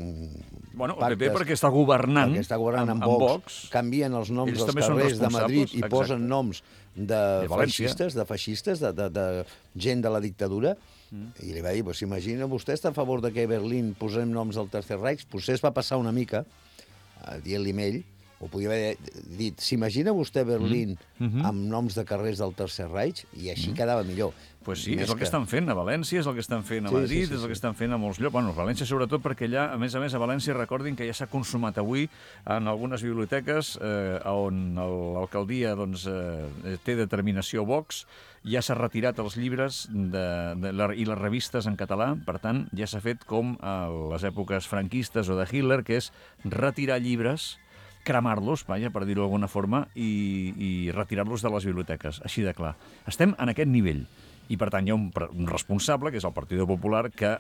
Bueno, el P P perquè està governant, perquè està governant amb, amb- amb Vox, Vox. canvien els noms Ells dels també són carrers de Madrid responsables, i exacte. posen noms de, De València. feixistes, de feixistes, de, de, de gent de la dictadura, mm. i li va dir, pues, imagina, vostè està a favor de que a Berlín posem noms del Tercer Reich? Potser es va passar una mica, eh, dient-li a ell, ho podia haver dit, s'imagina vostè Berlín Mm. amb noms de carrers del Tercer Reich? I així quedava millor. Pues sí, Més és el que, que estan fent a València, és el que estan fent a Sí, Madrid, sí, sí, és el que sí. estan fent a molts llocs. Bueno, a València sobretot perquè allà, a més a més, a València recordin que ja s'ha consumat avui en algunes biblioteques eh, on el- l'alcaldia doncs, eh, té determinació Vox, ja s'ha retirat els llibres de, de, la, i les revistes en català, per tant, ja s'ha fet com a les èpoques franquistes o de Hitler, que és retirar llibres, cremar-los, vaja, per dir-ho d'alguna forma, i, i retirar-los de les biblioteques, així de clar. Estem en aquest nivell. I, per tant, hi ha un, pre- un responsable, que és el Partit Popular, que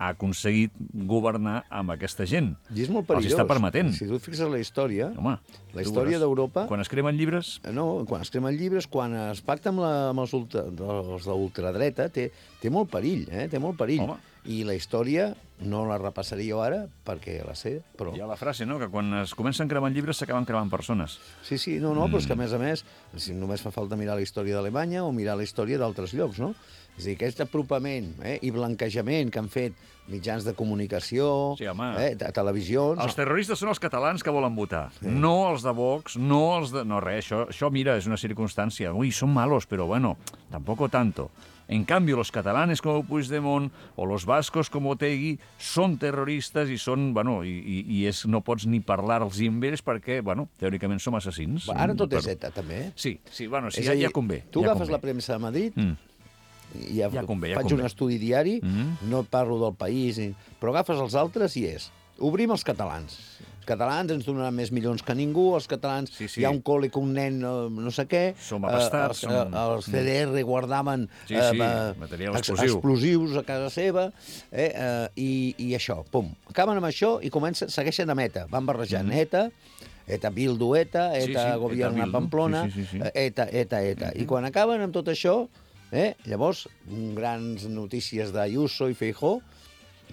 ha aconseguit governar amb aquesta gent. I és molt Els perillós. està permetent. Si tu et fixes la història, Home, la tu història veuràs. d'Europa... Quan es cremen llibres... No, quan es cremen llibres, quan es pacta amb, la, amb els, ultra, els d'ultradreta, té, té molt perill, eh? Té molt perill. Home. I la història no la repassaré jo ara, perquè la sé, però... Hi ha la frase, no?, que quan es comencen cremant llibres s'acaben cremant persones. Sí, sí, no, no, mm. però és que a més a més, si només fa falta mirar la història d'Alemanya o mirar la història d'altres llocs, no? És a dir, aquest apropament eh, i blanquejament que han fet mitjans de comunicació, Sí, home. eh, de televisions... Els terroristes són els catalans que volen votar, sí. no els de Vox, no els de... No, res, això, això, mira, és una circunstància. Ui, són malos, però bueno, tampoco tanto. En cambio, los catalanes como Puigdemont o los vascos como Otegui són terroristes i són, bueno, i, i, i és, no pots ni parlar-los amb ells perquè, bueno, teòricament som assassins. Ara tot és Però- ETA, també. Sí, sí, bueno, sí, És ja, a dir, ja convé. Tu ja agafes convé. la premsa de Madrid, Mm. i ja, Ja convé, ja faig convé. un estudi diari, Mm. no et parlo del país, ni- però agafes els altres i és, obrim els catalans. Els catalans ens donaran més milions que ningú, els catalans, Sí, sí. hi ha un col·le que un nen eh, no sé què, Som abastats, eh, els, som- eh, els C D R guardaven Sí, sí, eh, material ex- explosiu. explosius a casa seva, eh, eh, i, i això, pum. Acaben amb això i comencen, segueixen a ETA, van barrejant Mm. ETA, ETA Bildu ETA, Sí, ETA sí, Gobierna ETA Bildu, Pamplona, sí, sí, sí, sí. eh, ETA, ETA, ETA. I quan acaben amb tot això, eh, llavors, grans notícies d'Ayuso i Feijó,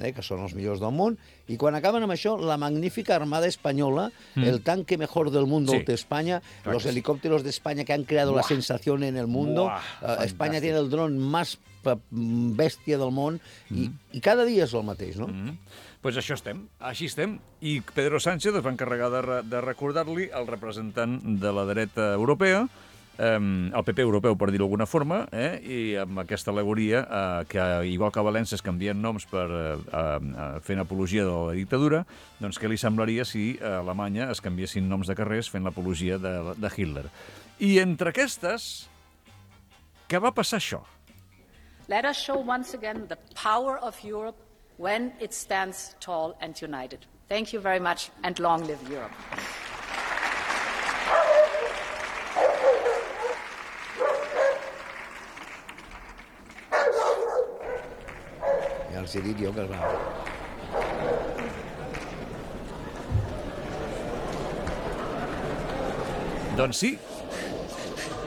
eh, que són els millors del món, i quan acaben amb això, la magnífica Armada Española, Mm. el tanque mejor del mundo Sí. de España, Clar los que sí. helicópteros de España que han creado la Buah. sensación en el mundo, Buah, eh, España fantàstic. tiene el dron más pa- bèstia del món, i, i cada dia és el mateix, no? Mm. Pues això estem, així estem. I Pedro Sánchez es va encarregar de, re de recordar-li al representant de la dreta europea, eh, el P P europeu, per dir-ho d'alguna forma, eh, i amb aquesta alegoria eh, que, igual que a València es canvien noms per eh, eh, fent apologia de la dictadura, doncs què li semblaria si a Alemanya es canviessin noms de carrers fent l'apologia de, de Hitler. I entre aquestes, què va passar això? Let us show once again the power of Europe when it stands tall and united. Thank you very much, and long live Europe. Ja els he dit jo que es va... Doncs sí.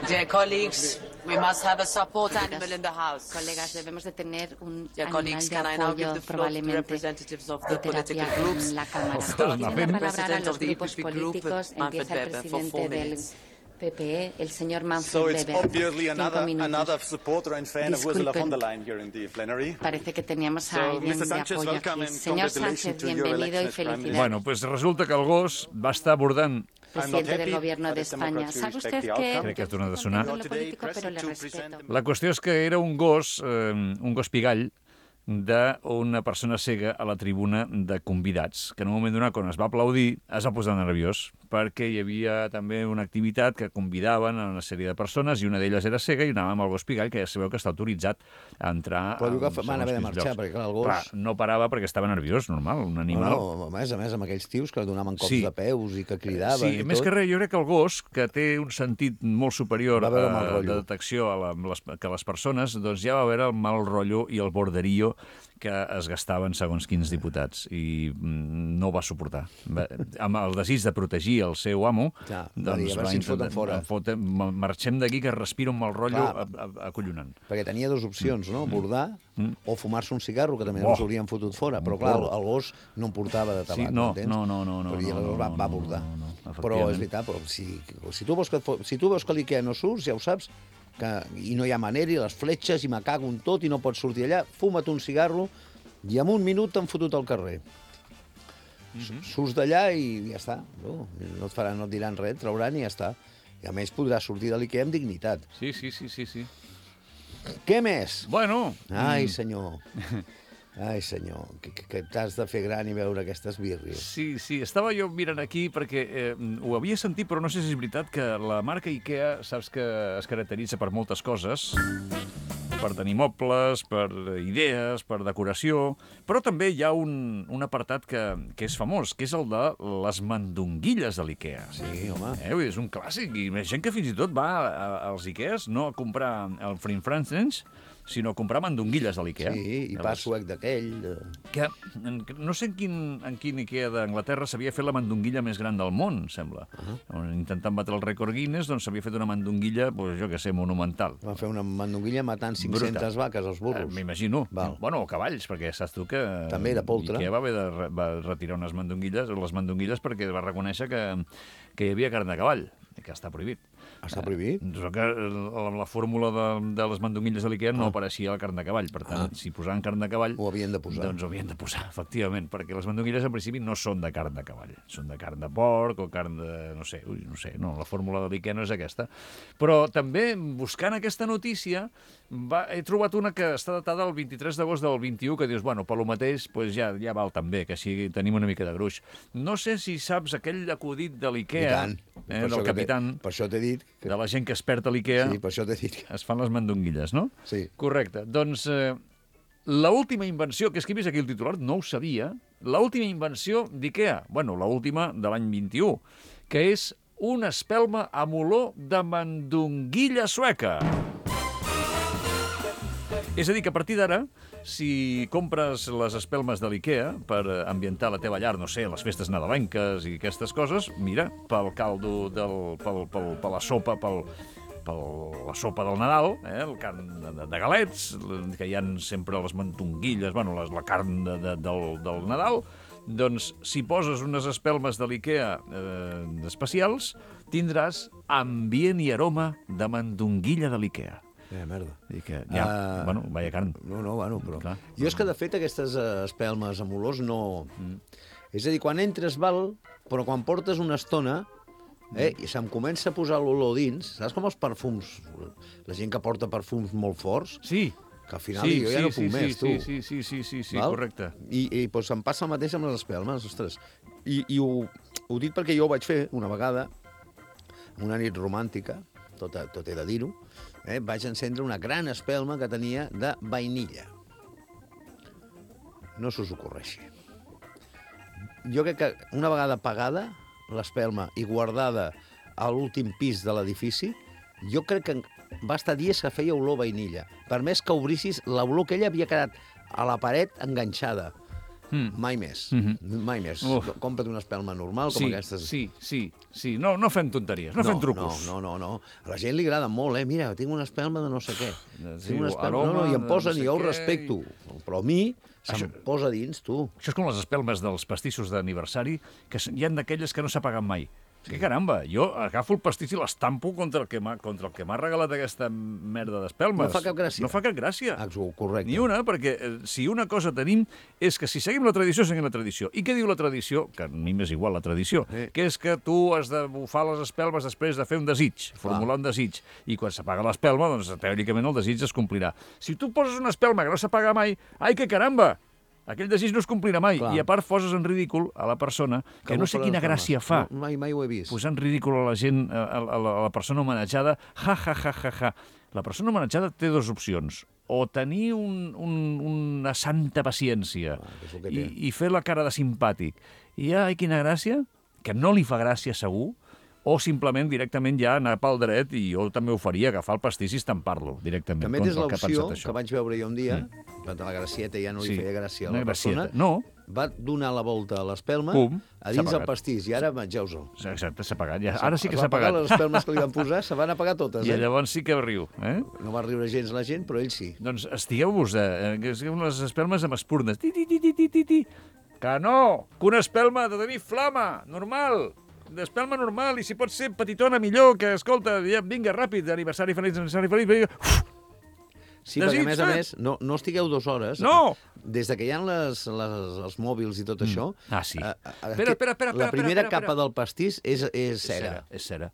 Dear colleagues, we must have a support animal in the house. Colegas, debemos de tener un Dear animal colleagues, de can I now give apoyo the floor to the probablemente representatives of de the political terapia groups? en la Cámara. Ostras, Tiene Nafem. la palabra a President los of the grupos E P P group, políticos. Manfred Empieza el Weber, for presidente four del minutes. P P E, el señor Manfred So it's Weber. obviously Cinco another, minutos. another supporter and fan of Ursula von der Disculpen. Leyen here in the plenary. Parece que teníamos a So, alguien mister de Sánchez, apoyo welcome aquí. and Señor congratulations Sánchez, to your bienvenido election y as Prime Minister. felicidades. Bueno, pues resulta que el gos va estar abordant... Presidente del Gobierno de España. ¿Sabe usted que Crec que ha tornat a sonar. lo político, pero le respeto? La qüestió és que era un gos, eh, un gos pigall, d'una persona cega a la tribuna de convidats, que en un moment donat, quan es va aplaudir, es va posar nerviós, perquè hi havia també una activitat que convidaven a una sèrie de persones, i una d'elles era cega, i anava amb el gos pigall, que ja sabeu que està autoritzat a entrar... Però diu que en van segons haver de quins marxar, llocs. perquè clar, el gos- Clar, no parava perquè estava nerviós, normal, un animal... No, no, a més a més, amb aquells tios que donaven cops Sí. de peus i que cridaven Sí, i més tot. que res, jo crec que el gos, que té un sentit molt superior Va veure mal eh, rotllo. de detecció a la, les, que les persones, doncs ja va veure el mal rotllo i el borderillo que es gastaven segons quins diputats, i mm, no ho va suportar. Va, amb el desig de protegir el seu amo, Ja, va doncs dir, a veure va si ens foten intentar- fora. em foten- ma- marxem d'aquí que respiro un mal rotllo Clar. a- a- acollonant. Perquè tenia dues opcions, no? Bordar Mm. o fumar-se un cigarro, que també Oh. no s'haurien fotut fora. Però, clar, el, porro. el gos no en portava de tabac, Sí, no, m'entens? no, no, no, no, Però i no, el gos va, no, va no, bordar. no, no, Però efectivament. és veritat, però si, si, tu veus que, si tu veus que l'Ikea no surts, ja ho saps, que, i no hi ha manera, i les fletxes, i me cago en tot, i no pots sortir allà, fuma't un cigarro, i en un minut t'han fotut al carrer. Surts d'allà i ja està. No, no et faran, no et diran res, et trauran i ja està. I a més podràs sortir de l'Ikea amb dignitat. Sí, sí, sí, sí, sí. Què més? Bueno... Ai, senyor. Ai, senyor, que, que, que t'has de fer gran i veure aquestes birries. Sí, sí, estava jo mirant aquí perquè eh, ho havia sentit, però no sé si és veritat que la marca Ikea, saps que es caracteritza per moltes coses, per tenir mobles, per idees, per decoració, però també hi ha un, un apartat que, que és famós, que és el de les mandonguilles de l'Ikea. Sí, home. Eh, és un clàssic, i hi ha gent que fins i tot va a, als Ikeas no a comprar el Frinfrancens, sinó a comprar mandonguilles de l'Ikea. Sí, i pa suec d'aquell. Que no sé en quin, en quin Ikea d'Anglaterra s'havia fet la mandonguilla més gran del món, sembla. Uh -huh. Intentant batre el rècord Guinness, doncs s'havia fet una mandonguilla, pues, jo què sé, monumental. Van fer una mandonguilla matant cinc-centes vaques als burros. Eh, M'imagino. Bueno, o cavalls, perquè saps tu que... També era poltre. Ikea va haver de re va retirar unes mandonguilles, les mandonguilles perquè va reconèixer que, que hi havia carn de cavall, que està prohibit. Està prohibit? Eh, que la, la fórmula de, de les mandonguilles de l'Ikea no ah. apareixia la carn de cavall. Per tant, ah. si posaven carn de cavall... Ho havien de posar. Doncs ho havien de posar, efectivament, perquè les mandonguilles en principi no són de carn de cavall. Són de carn de porc o carn de... no sé, ui, no sé, no, la fórmula de l'Ikea no és aquesta. Però també, buscant aquesta notícia, va, he trobat una que està datada el vint-i-tres d'agost del vint-i-u, que dius, bueno, per lo mateix, pues ja, ja val també, que així tenim una mica de gruix. No sé si saps aquell acudit de l'Ikea, eh, del capitán, per això t'he dit que... de la gent que es perd a l'Ikea, sí, per això t'he dit. Es fan les mandonguilles, no? Sí. Correcte. Doncs eh, l'última invenció, que és que he vist aquí el titular, no ho sabia, l'última invenció d'Ikea, bueno, l'última de l'any vint-i-u, que és una espelma amb olor de mandonguilla sueca. És a dir, que a partir d'ara, si compres les espelmes de l'Ikea per ambientar la teva llar, no sé, les festes nadalenques i aquestes coses, mira, pel caldo, del, pel, pel, per la sopa, pel, per la sopa del Nadal, eh, el carn de, de galets, que hi ha sempre les mandonguilles, bueno, les, la carn de, de, del, del Nadal, doncs si poses unes espelmes de l'Ikea eh, especials, tindràs ambient i aroma de mandonguilla de l'Ikea. Eh, merda. I que ja, uh, bueno, vaya carn. No, no, bueno, però... Clar. Jo és que, de fet, aquestes uh, espelmes amb olors no... Mm. És a dir, quan entres val, però quan portes una estona, eh, i se'm comença a posar l'olor dins, saps com els perfums? La gent que porta perfums molt forts... Sí. Que al final sí, jo ja sí, no puc sí, més, sí, tu. Sí, sí, sí, sí, sí, val? Correcte. I, i doncs, em passa el mateix amb les espelmes, ostres. I, i ho, ho dic perquè jo ho vaig fer una vegada, una nit romàntica, tot, tot he de dir-ho, eh, vaig encendre una gran espelma que tenia de vainilla. No s'us ocorreixi. Jo crec que una vegada apagada l'espelma i guardada a l'últim pis de l'edifici, jo crec que va estar dies que feia olor vainilla. Per més que obrissis, l'olor que ella havia quedat a la paret enganxada. Mm. Mai més. Mm-hmm. Mai més. Uf. Compra't una espelma normal com sí, aquestes. Sí, sí, sí. No, no fem tonteries, no, no fem trucos. No, no, no, no. A la gent li agrada molt, eh? Mira, tinc una espelma de no sé què. Sí, tinc una espelma... aroma, no, no, i em posen, no sé i jo ho què, respecto. I... Però a mi se'm Això... posa dins, tu. Això és com les espelmes dels pastissos d'aniversari, que hi ha d'aquelles que no s'apaguen mai. Que caramba, jo agafo el pastís i l'estampo contra el que m'ha regalat aquesta merda d'espelmes. No fa cap gràcia. No fa cap gràcia. Ah, correcte. Ni una, perquè eh, si una cosa tenim és que si seguim la tradició, seguim la tradició. I què diu la tradició? Que a mi m'és igual la tradició. Eh. Que és que tu has de bufar les espelmes després de fer un desig, formular ah. un desig. I quan s'apaga l'espelma, doncs teòricament el desig es complirà. Si tu poses una espelma que no s'apaga mai, ai, que caramba! Aquell desig no es complirà mai. Clar. I a part poses en ridícul a la persona, que, que no sé quina gràcia fa. No, mai, mai ho he vist. Posar en ridícul a la gent, a, a, la, a la persona homenatjada, ja, ja, ja, ja, ja. La persona homenatjada té dues opcions. O tenir un, un, una santa paciència ah, i, i fer la cara de simpàtic. I ai, quina gràcia, que no li fa gràcia segur, o simplement directament ja anar pel dret, i jo també ho faria, agafar el pastís i estampar-lo directament. També tens l'opció que, que vaig veure jo un dia, mm. la gracieta ja no li sí. feia gràcia a la persona, no. va donar la volta a l'espelma Pum, a dins el pastís, i ara mengeu-ho. Exacte, s'ha apagat. Ja. Ara sí que s'ha apagat. Les espelmes que li van posar se van apagar totes. I eh? llavors sí que riu. Eh? No va riure gens la gent, però ell sí. Doncs estigueu-vos, eh? les espelmes amb espurnes. Ti, ti, ti, ti, ti, ti, ti. Que no! Que una espelma ha de tenir flama, normal. D'espelma normal, i si pot ser petitona millor, que, escolta, ja, vinga, ràpid, aniversari feliç, aniversari feliç, vinga. Sí, perquè a més a més, no, no estigueu dues hores. No! Des de que hi ha les, les, els mòbils i tot això... Ah, sí. A, a, Espera, espera, espera, la primera espera, espera, capa del pastís és, és cera. És cera.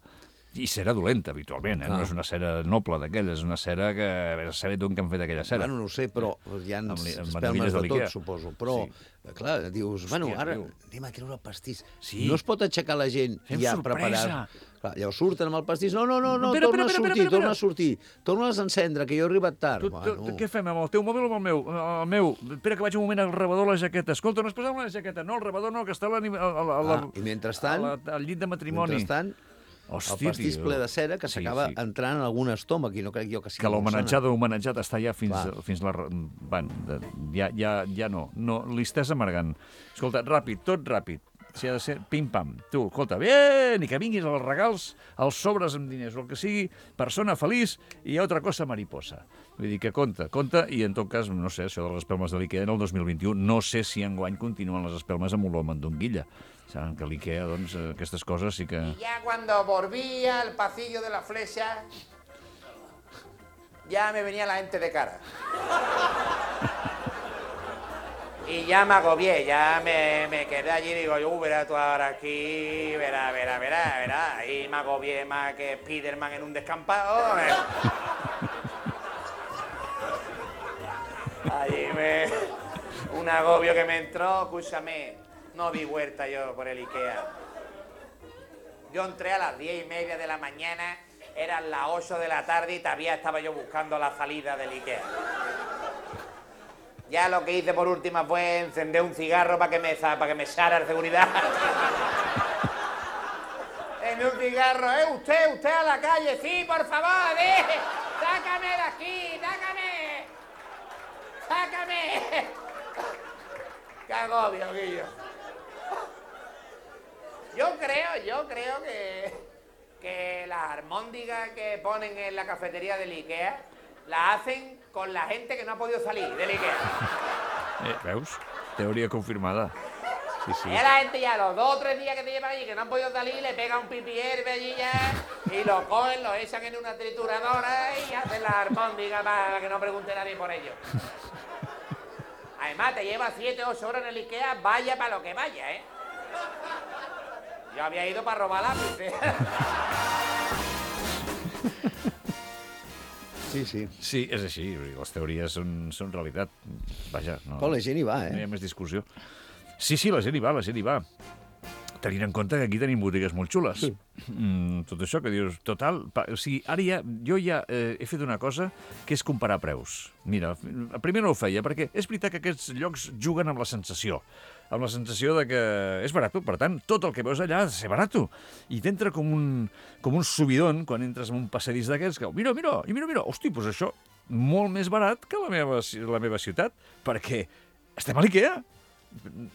I cera dolenta, habitualment, eh? No és una cera noble d'aquella, és una cera que... A saber d'on que han fet aquella cera. Bueno, no ho sé, però hi ha Amb li- amb espelmes de l'Ikea. tot, suposo. Però, Sí. clar, dius, bueno, Hòstia, ara tio. anem a treure el pastís. Sí. No es pot aixecar la gent Fem i ja sorpresa. preparar... Clar, llavors surten amb el pastís. No, no, no, no Espera, torna espera, a espera, sortir, espera, torna a espera. sortir. Torna a encendre, que jo he arribat tard. Tu, tu, Bueno. què fem, amb el teu mòbil o amb el meu? El meu. Espera que vaig un moment al rebedor la jaqueta. Escolta, no es posava la jaqueta. No, el rebedor no, que està a la, a la, a la, Ah, i mentrestant, a la, al llit de matrimoni. mentrestant, Hosti, el pastís tio. ple de cera que Sí, s'acaba sí. entrant en algun estómac i no crec jo que sigui Que molt l'homenatjat sana. homenatjat està ja fins, Clar. fins la... Bueno, de, ja, ja, ja no. no Li estàs amargant. Escolta, ràpid, tot ràpid. Si ha de ser pim-pam. Tu, escolta, bien, i que vinguis als regals, als sobres amb diners, o el que sigui, persona feliç i altra cosa mariposa. Vull dir que compta, compta, i en tot cas, no sé, això de les espelmes de l'Ikea en el dos mil vint-i-u, no sé si enguany continuen les espelmes amb olor a mandonguilla. Saben que l'Ikea, doncs, eh, aquestes coses sí que... Ya cuando volví al pasillo de la flecha, ya me venía la gente de cara. Y ya me agobié, ya me, me quedé allí y digo, yo, verá tú ahora aquí, verá, verá, verá, verá. Y me agobié más que Spiderman en un descampado. eh. Allí me... Un agobio que me entró, escúchame, no di vuelta yo por el Ikea. Yo entré a las diez y media de la mañana, eran las ocho de la tarde y todavía estaba yo buscando la salida del Ikea. Ya lo que hice por última fue encender un cigarro para que me, para que me echara el seguridad. En un cigarro, ¿eh? Usted, usted a la calle, sí, por favor, ¿eh? Sácame de aquí, sácame. Sácame. Qué agobio, Guillo. Yo creo, yo creo que, que las armóndigas que ponen en la cafetería del Ikea las hacen con la gente que no ha podido salir del Ikea. Eh, veus? Teoria confirmada. Sí, sí. Y a la gente ya los dos o tres días que te llevan allí que no han podido salir, le pega un pipi herbe allí ya y lo cogen, lo echan en una trituradora y hacen la armóndiga para que no pregunte nadie por ello. Además, te lleva siete o ocho horas en el Ikea, vaya para lo que vaya, ¿eh? Yo había ido para robar lápices. Sí, sí. Sí, és així. Les teories són, són realitat. Vaja, no... Però la gent hi va, eh? No hi ha més discussió. Sí, sí, la gent hi va, la gent hi va. Tenint en compte que aquí tenim botigues molt xules. Sí. Mm, tot això que dius, total... Pa, o sigui, ara ja, jo ja eh, he fet una cosa que és comparar preus. Mira, primer no ho feia, perquè és veritat que aquests llocs juguen amb la sensació. Amb la sensació de que és barat, per tant, tot el que veus allà ha de ser barat. I t'entra com un, com un subidon quan entres en un passadís d'aquests que, mira, mira, i mira, mira, hosti, doncs això, molt més barat que la meva, la meva ciutat, perquè estem a l'Ikea.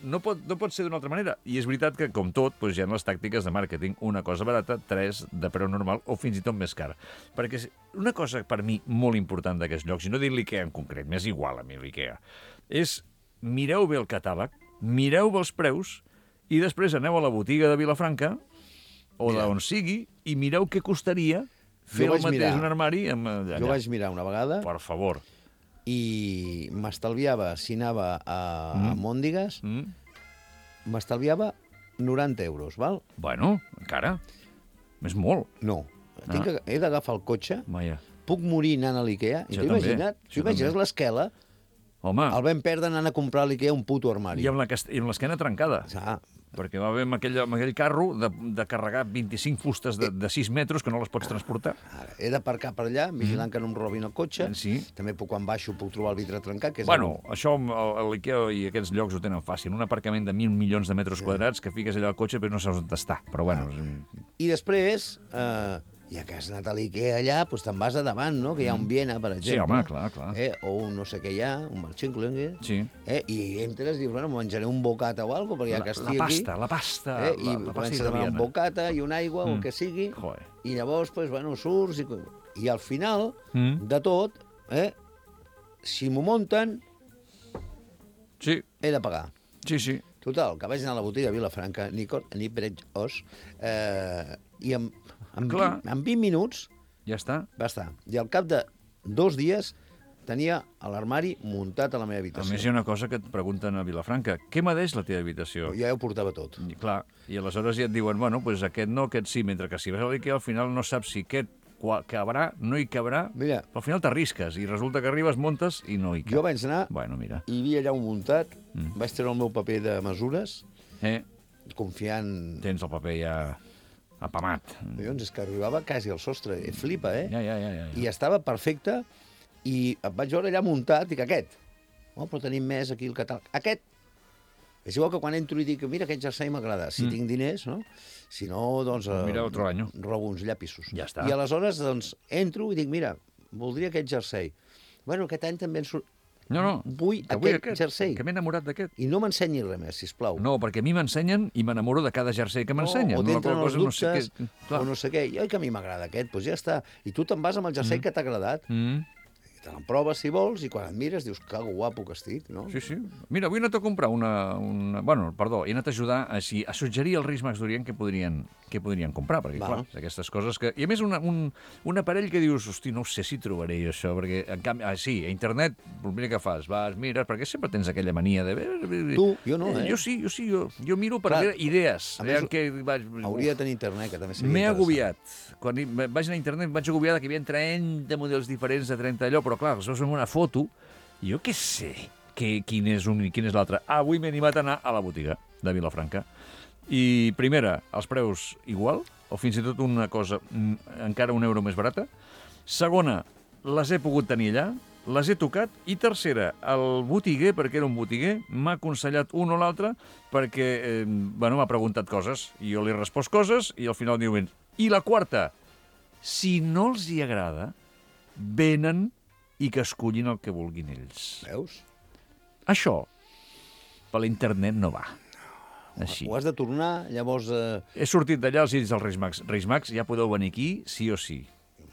No pot, no pot ser d'una altra manera. I és veritat que, com tot, doncs hi ha les tàctiques de màrqueting. Una cosa barata, tres de preu normal o fins i tot més cara. Perquè una cosa per mi molt important d'aquests llocs, i no dic l'Ikea en concret, m'és igual a mi l'Ikea, és mireu bé el catàleg, mireu bé els preus i després aneu a la botiga de Vilafranca o d'on sigui i mireu què costaria fer el mateix mirar. Un armari amb allà. Jo vaig mirar una vegada. Per favor. I m'estalviava, si anava a, mm. a Mòndigues, mm. m'estalviava noranta euros, val? Bueno, encara. És molt. No. Ah. Tinc que, he d'agafar el cotxe, Vaja. puc morir anant a l'Ikea, i t'ho imagina't? T'ho imagines l'esquela? Home. El vam perdre anant a comprar a l'Ikea un puto armari. I amb l'esquena trencada. Ah. Perquè va haver amb aquell, amb aquell carro de, de carregar vint-i-cinc fustes de, de sis metres que no les pots transportar. Ara, he d'aparcar per allà, vigilant mm. que no em robin el cotxe. Sí. També puc, quan baixo, puc trobar el vidre trencat. Que és bueno, el... això l'Ikea i aquests llocs ho tenen fàcil. Un aparcament de mil milions de metres sí. quadrats que fiques allà al cotxe però no saps on està. Però bueno... Ah. I després... Eh... ja que has anat a l'Ikea allà, doncs te'n vas a davant, no? Que hi ha un Viena, per exemple. Sí, home, clar, clar. Eh? O un no sé què hi ha, un Marchinklinge. Sí. Eh? I entres i dius, bueno, menjaré un bocata o alguna cosa, perquè ja que estic aquí... La pasta, aquí, la pasta. Eh? I la, la comences a demanar un bocata i una aigua, mm. o el que sigui. Joder. I llavors, doncs, bueno, surts i... I al final mm. de tot, eh? si m'ho munten, sí. he de pagar. Sí, sí. Total, que vaig anar a la botiga a Vilafranca, ni, ni breig os, eh, i en, en, vint, en vint minuts ja està. va estar. I al cap de dos dies tenia l'armari muntat a la meva A habitació. més, hi ha una cosa que et pregunten a Vilafranca. Què medeix la teva habitació? Jo ja ho portava tot. I, clar, i aleshores ja et diuen, bueno, pues aquest no, aquest sí, mentre que si vas a l'IKEA al final no saps si aquest cabrà, no hi cabrà, mira, però al final t'arrisques i resulta que arribes, montes i no hi cap. Jo vaig anar, bueno, mira. hi havia allà un muntat, mm. vaig treure el meu paper de mesures, eh? confiant... Tens el paper ja apamat. Collons, és que arribava quasi al sostre, eh? Flipa, eh? Ja, ja, ja, ja, ja. I estava perfecte, i em vaig veure allà muntat, i que aquest, oh, però tenim més aquí el catàleg, aquest, és igual que quan entro i dic, mira, aquest jersei m'agrada, si mm. tinc diners, no? Si no, doncs... Mira, otro año. Robo uns llapisos. Ja està. I aleshores, doncs, entro i dic, mira, voldria aquest jersei. Bueno, aquest any també en surt... No, no, vull que aquest, vull aquest jersei. Que m'he enamorat d'aquest. I no m'ensenyi res més, sisplau. No, perquè a mi m'ensenyen i m'enamoro de cada jersei que m'ensenyen. No, o t'entren els no dubtes, sé què... o no sé què. I oi que a mi m'agrada aquest, doncs ja està. I tu te'n vas amb el jersei mm. que t'ha agradat. Mm. Te l'emproves, si vols, i quan et mires dius que guapo que estic, no? Sí, sí. Mira, avui he anat a comprar una... una... Bueno, perdó, he anat a ajudar a, així, a suggerir als Reis Mags d'Orient què podrien, què podrien comprar, perquè, Va. clar, aquestes coses que... I a més, una, un, un aparell que dius, hosti, no sé si trobaré jo això, perquè, en canvi, ah, sí, a internet, el primer que fas, vas, mires, perquè sempre tens aquella mania de... Tu, jo no, eh? Jo sí, jo sí, jo, jo miro per veure idees. A més, que vaig... hauria de tenir internet, que també seria M'he interessant. agobiat. Quan hi- vaig anar a internet em vaig agobiar que hi havia trenta models diferents de trenta allò, però clar, els veus en una foto, i jo què sé que, quin és un i quin és l'altre. Avui m'he animat a anar a la botiga de Vilafranca. I primera, els preus igual, o fins i tot una cosa mm, encara un euro més barata. Segona, les he pogut tenir allà, les he tocat. I tercera, el botiguer, perquè era un botiguer, m'ha aconsellat un o l'altre perquè, eh, bueno, m'ha preguntat coses, i jo li he respost coses, i al final diuen... I la quarta, si no els hi agrada, venen i que escollin el que vulguin ells. Veus? Això, per l'internet no va. Així. Ho has de tornar, llavors... Eh... He sortit d'allà, els he dit als Reis Mags, Reis Mags, ja podeu venir aquí, sí o sí.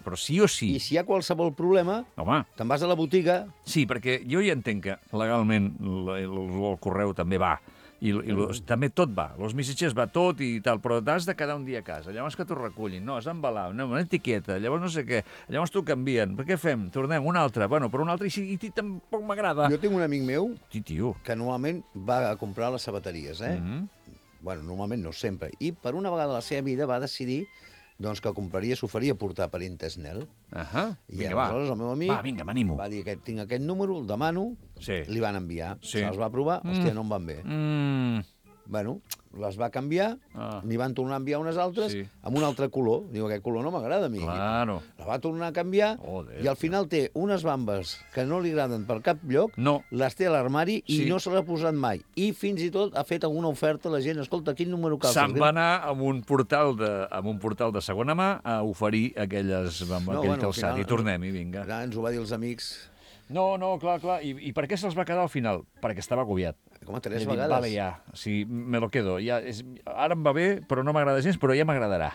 Però sí o sí. I si hi ha qualsevol problema, home, te'n vas a la botiga... Sí, perquè jo ja entenc que legalment el, el, el correu també va. I, i los, també tot va, els missatgers va tot i tal, però t'has de quedar un dia a casa, llavors que t'ho recullin, no, has d'embalar, no, una etiqueta, llavors no sé què, llavors t'ho canvien, per què fem? Tornem, un altre, bueno, per un altre, i, i tampoc m'agrada. Jo tinc un amic meu sí, tio. que normalment va a comprar les sabateries, eh? Mm-hmm. Bueno, normalment no sempre. I per una vegada a la seva vida va decidir doncs que compraria, s'oferia portar per Intesnel. Ahà, I vinga, va. aleshores el meu amic Va, vinga, m'animo. va dir que tinc aquest número, el demano, Sí. li van enviar. Sí. Se'ls va provar, Mm. hòstia, no em van bé. Mm. Bueno, les va canviar, Ah. n'hi van tornar a enviar unes altres Sí. amb un altre color. Diu, aquest color no m'agrada a mi. Claro. La va tornar a canviar Joder. i al final té unes bambes que no li agraden per cap lloc, no. les té a l'armari i Sí. no se l'ha posat mai. I fins i tot ha fet alguna oferta a la gent. Escolta, quin número cal? Se'n va anar amb un portal de, amb un portal de segona mà a oferir aquelles, amb No, aquell bueno, al calçat. final- I tornem, i vinga. Clar, ens ho va dir els amics. No, no, clar, clar. I, i per què se'ls va quedar al final? Perquè estava agobiat. Com a tres He dit, vegades. Vale, ja, sí, me lo quedo. Ja, és, ara em va bé, però no m'agrada gens, però ja m'agradarà.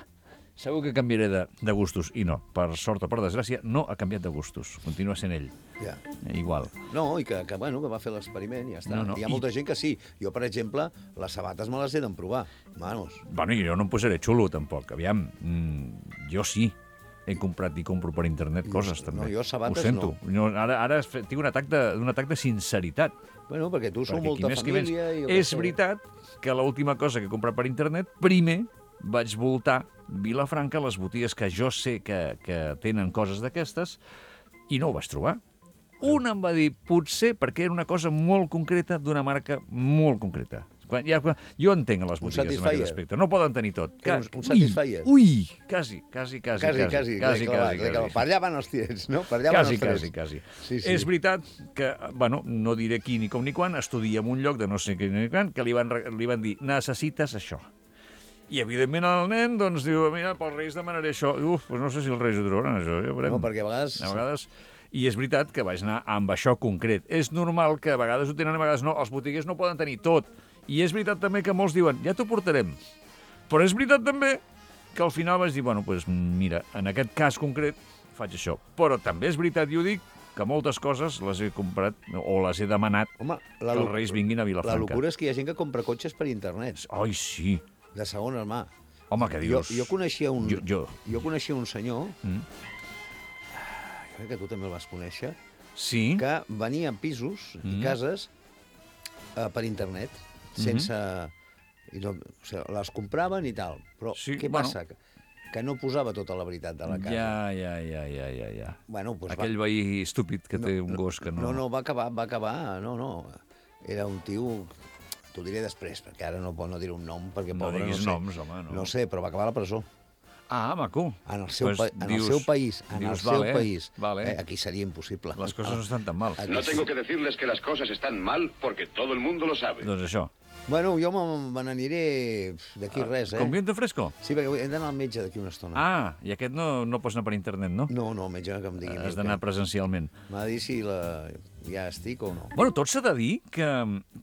Segur que canviaré de, de gustos. I no, per sort o per desgràcia, no ha canviat de gustos. Continua sent ell. Ja. Igual. No, i que, que, bueno, que va fer l'experiment i ja està. No, no, Hi ha molta gent que sí. Jo, per exemple, les sabates me les he d'emprovar. Manos. Bueno, i jo no em posaré xulo, tampoc. Aviam, mm, jo sí. He comprat i compro per internet coses, també. no, jo sabates Ho sento. No. Ara, ara tinc un atac de, un atac de sinceritat. Bueno, perquè tu sou Perquè molta qui més, qui menys. família... I jo És què sé. veritat que l'última cosa que he comprat per internet, primer vaig voltar Vilafranca, les botigues que jo sé que, que tenen coses d'aquestes, i no ho vaig trobar. Un em va dir, potser perquè era una cosa molt concreta d'una marca molt concreta. Quan, ja, quan, jo entenc a les Un botigues en Satisfyer. aquest aspecte. No poden tenir tot. Que Ca- un- un Satisfyer. Ui, ui, quasi, quasi, quasi. Quasi, quasi. quasi, l'he clavat, quasi, l'he clavat. quasi. Per allà van els tiets, no? Per allà Quasi, van els quasi, trets. quasi. Sí, sí. És veritat que, bueno, no diré qui ni com ni quan, estudia en un lloc de no sé què ni quan, que li van, re- li van dir, necessites això. I, evidentment, el nen, doncs, diu, mira, pels Reis demanaré això. Uf, doncs no sé si els Reis ho trobaran, això, ja ho veurem. No, perquè a vegades... A vegades... I és veritat que vaig anar amb això concret. És normal que a vegades ho tenen, a vegades no. Els botiguers no poden tenir tot. I és veritat també que molts diuen, ja t'ho portarem. Però és veritat també que al final vaig dir, bueno, doncs mira, en aquest cas concret faig això. Però també és veritat, i ho dic, que moltes coses les he comprat o les he demanat Home, que els Reis vinguin a La Vilafranca. locura és que hi ha gent que compra cotxes per internet. Ai, sí. De segona mà. Home, què dius? Jo, jo coneixia un... Jo, jo. jo coneixia un senyor, Mm. jo crec que tu també el vas conèixer, sí. que venien pisos i Mm. cases eh, per internet, sense... I no, o sigui, les compraven i tal. Però Sí, què bueno. passa? Que, que no posava tota la veritat de la casa. Ja, ja, ja, ja, ja, ja. Bueno, pues Aquell va... veí estúpid que té un gos que no... No, no, va acabar, va acabar, no, no. Era un tio... T'ho diré després, perquè ara no pot no dir un nom, perquè No pobre, diguis no sé. noms, home, no. No sé, però va acabar a la presó. Ah, maco. En el seu, Pues pa... en dius- el seu país, en dius, el seu vale, país. vale. Eh, aquí seria impossible. Les coses no estan tan mal. Aquí No sí. tengo que decirles que las cosas están mal porque todo el mundo lo sabe. Doncs això. Bueno, jo me- me n'aniré d'aquí res, eh? Com viento fresco? Sí, perquè he d'anar al metge d'aquí una estona. Ah, i aquest no, no pots anar per internet, no? No, no, el metge que em digui. Has d'anar presencialment. M'ha de dir si la... ja estic o no. Bueno, tot s'ha de dir que,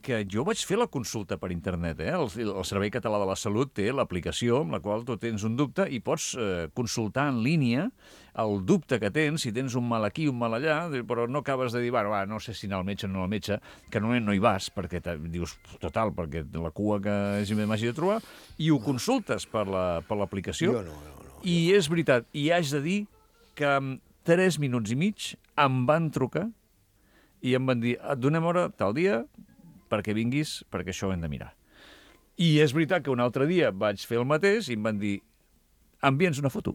que jo vaig fer la consulta per internet. Eh? El, el Servei Català de la Salut té l'aplicació amb la qual tu tens un dubte i pots eh, consultar en línia el dubte que tens, si tens un mal aquí, un mal allà, però no acabes de dir, bueno, va, no sé si anar al metge o no al metge, que normalment no hi vas, perquè te, dius, total, perquè la cua que m'hagi de trobar, i ho consultes per l'aplicació. Jo no, no, no. I és veritat, i haig de dir que en tres minuts i mig em van trucar i em van dir, et donem hora tal dia perquè vinguis, perquè això ho hem de mirar. I és veritat que un altre dia vaig fer el mateix i em van dir, envia'ns una foto.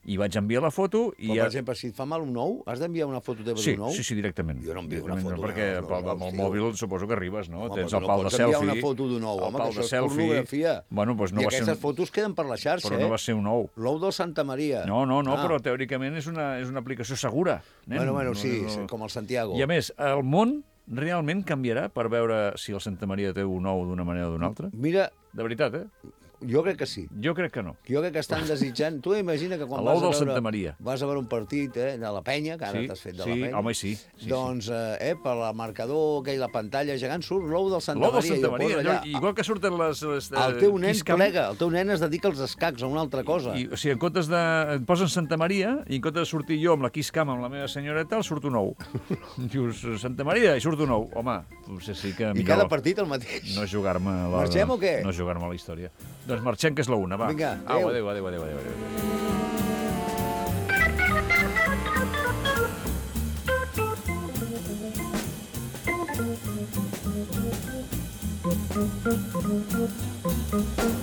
I vaig enviar la foto i... Però, ja... per exemple, si et fa mal un ou, has d'enviar una foto teva Sí, d'un ou? sí, sí, directament. Jo no envio una Directament, foto perquè d'un ou, pel- no, amb el tio. mòbil suposo que arribes, no? Home, Tens però el no pal de pots selfie. enviar una foto d'un ou, el home, pal que de això és selfie. pornografia. Bueno, doncs no I va ser aquestes un... fotos queden per la xarxa, Però eh? no va ser un ou. L'ou del Santa Maria. No, no, no, Ah. però teòricament és una, és una aplicació segura. Nen. Bueno, bueno, No, sí, no. com el Santiago. I a més, el món realment canviarà per veure si el Santa Maria té un ou d'una manera o d'una altra? Mira... De veritat, eh? Jo crec que sí. Jo crec que no. Jo crec que estan desitjant... Tu imagina que quan L'ou vas a del veure... Santa Maria. Vas a veure un partit eh, de la penya, que ara Sí, t'has fet de sí, la penya. home, sí, sí, doncs, eh, per la marcador, aquell, la pantalla gegant, surt l'ou del Santa L'ou del Maria. i Santa ho Maria, posa allò, allà. igual que surten les... les eh, El teu nen Kiss Cam. plega, el teu nen es dedica als escacs, a una altra cosa. I, o sigui, en comptes de... Et posen Santa Maria i en comptes de sortir jo amb la Kiss Cam amb la meva senyora i tal, surt un ou. Dius, Santa Maria, i surt un ou. Home, potser sí que I millor... cada partit el mateix. No jugar-me la... Marxem o què? No jugar-me la història. Doncs marxem, que és la una, va. Vinga, Au, adéu. adéu, adéu, adéu, adéu, adéu. Thank you.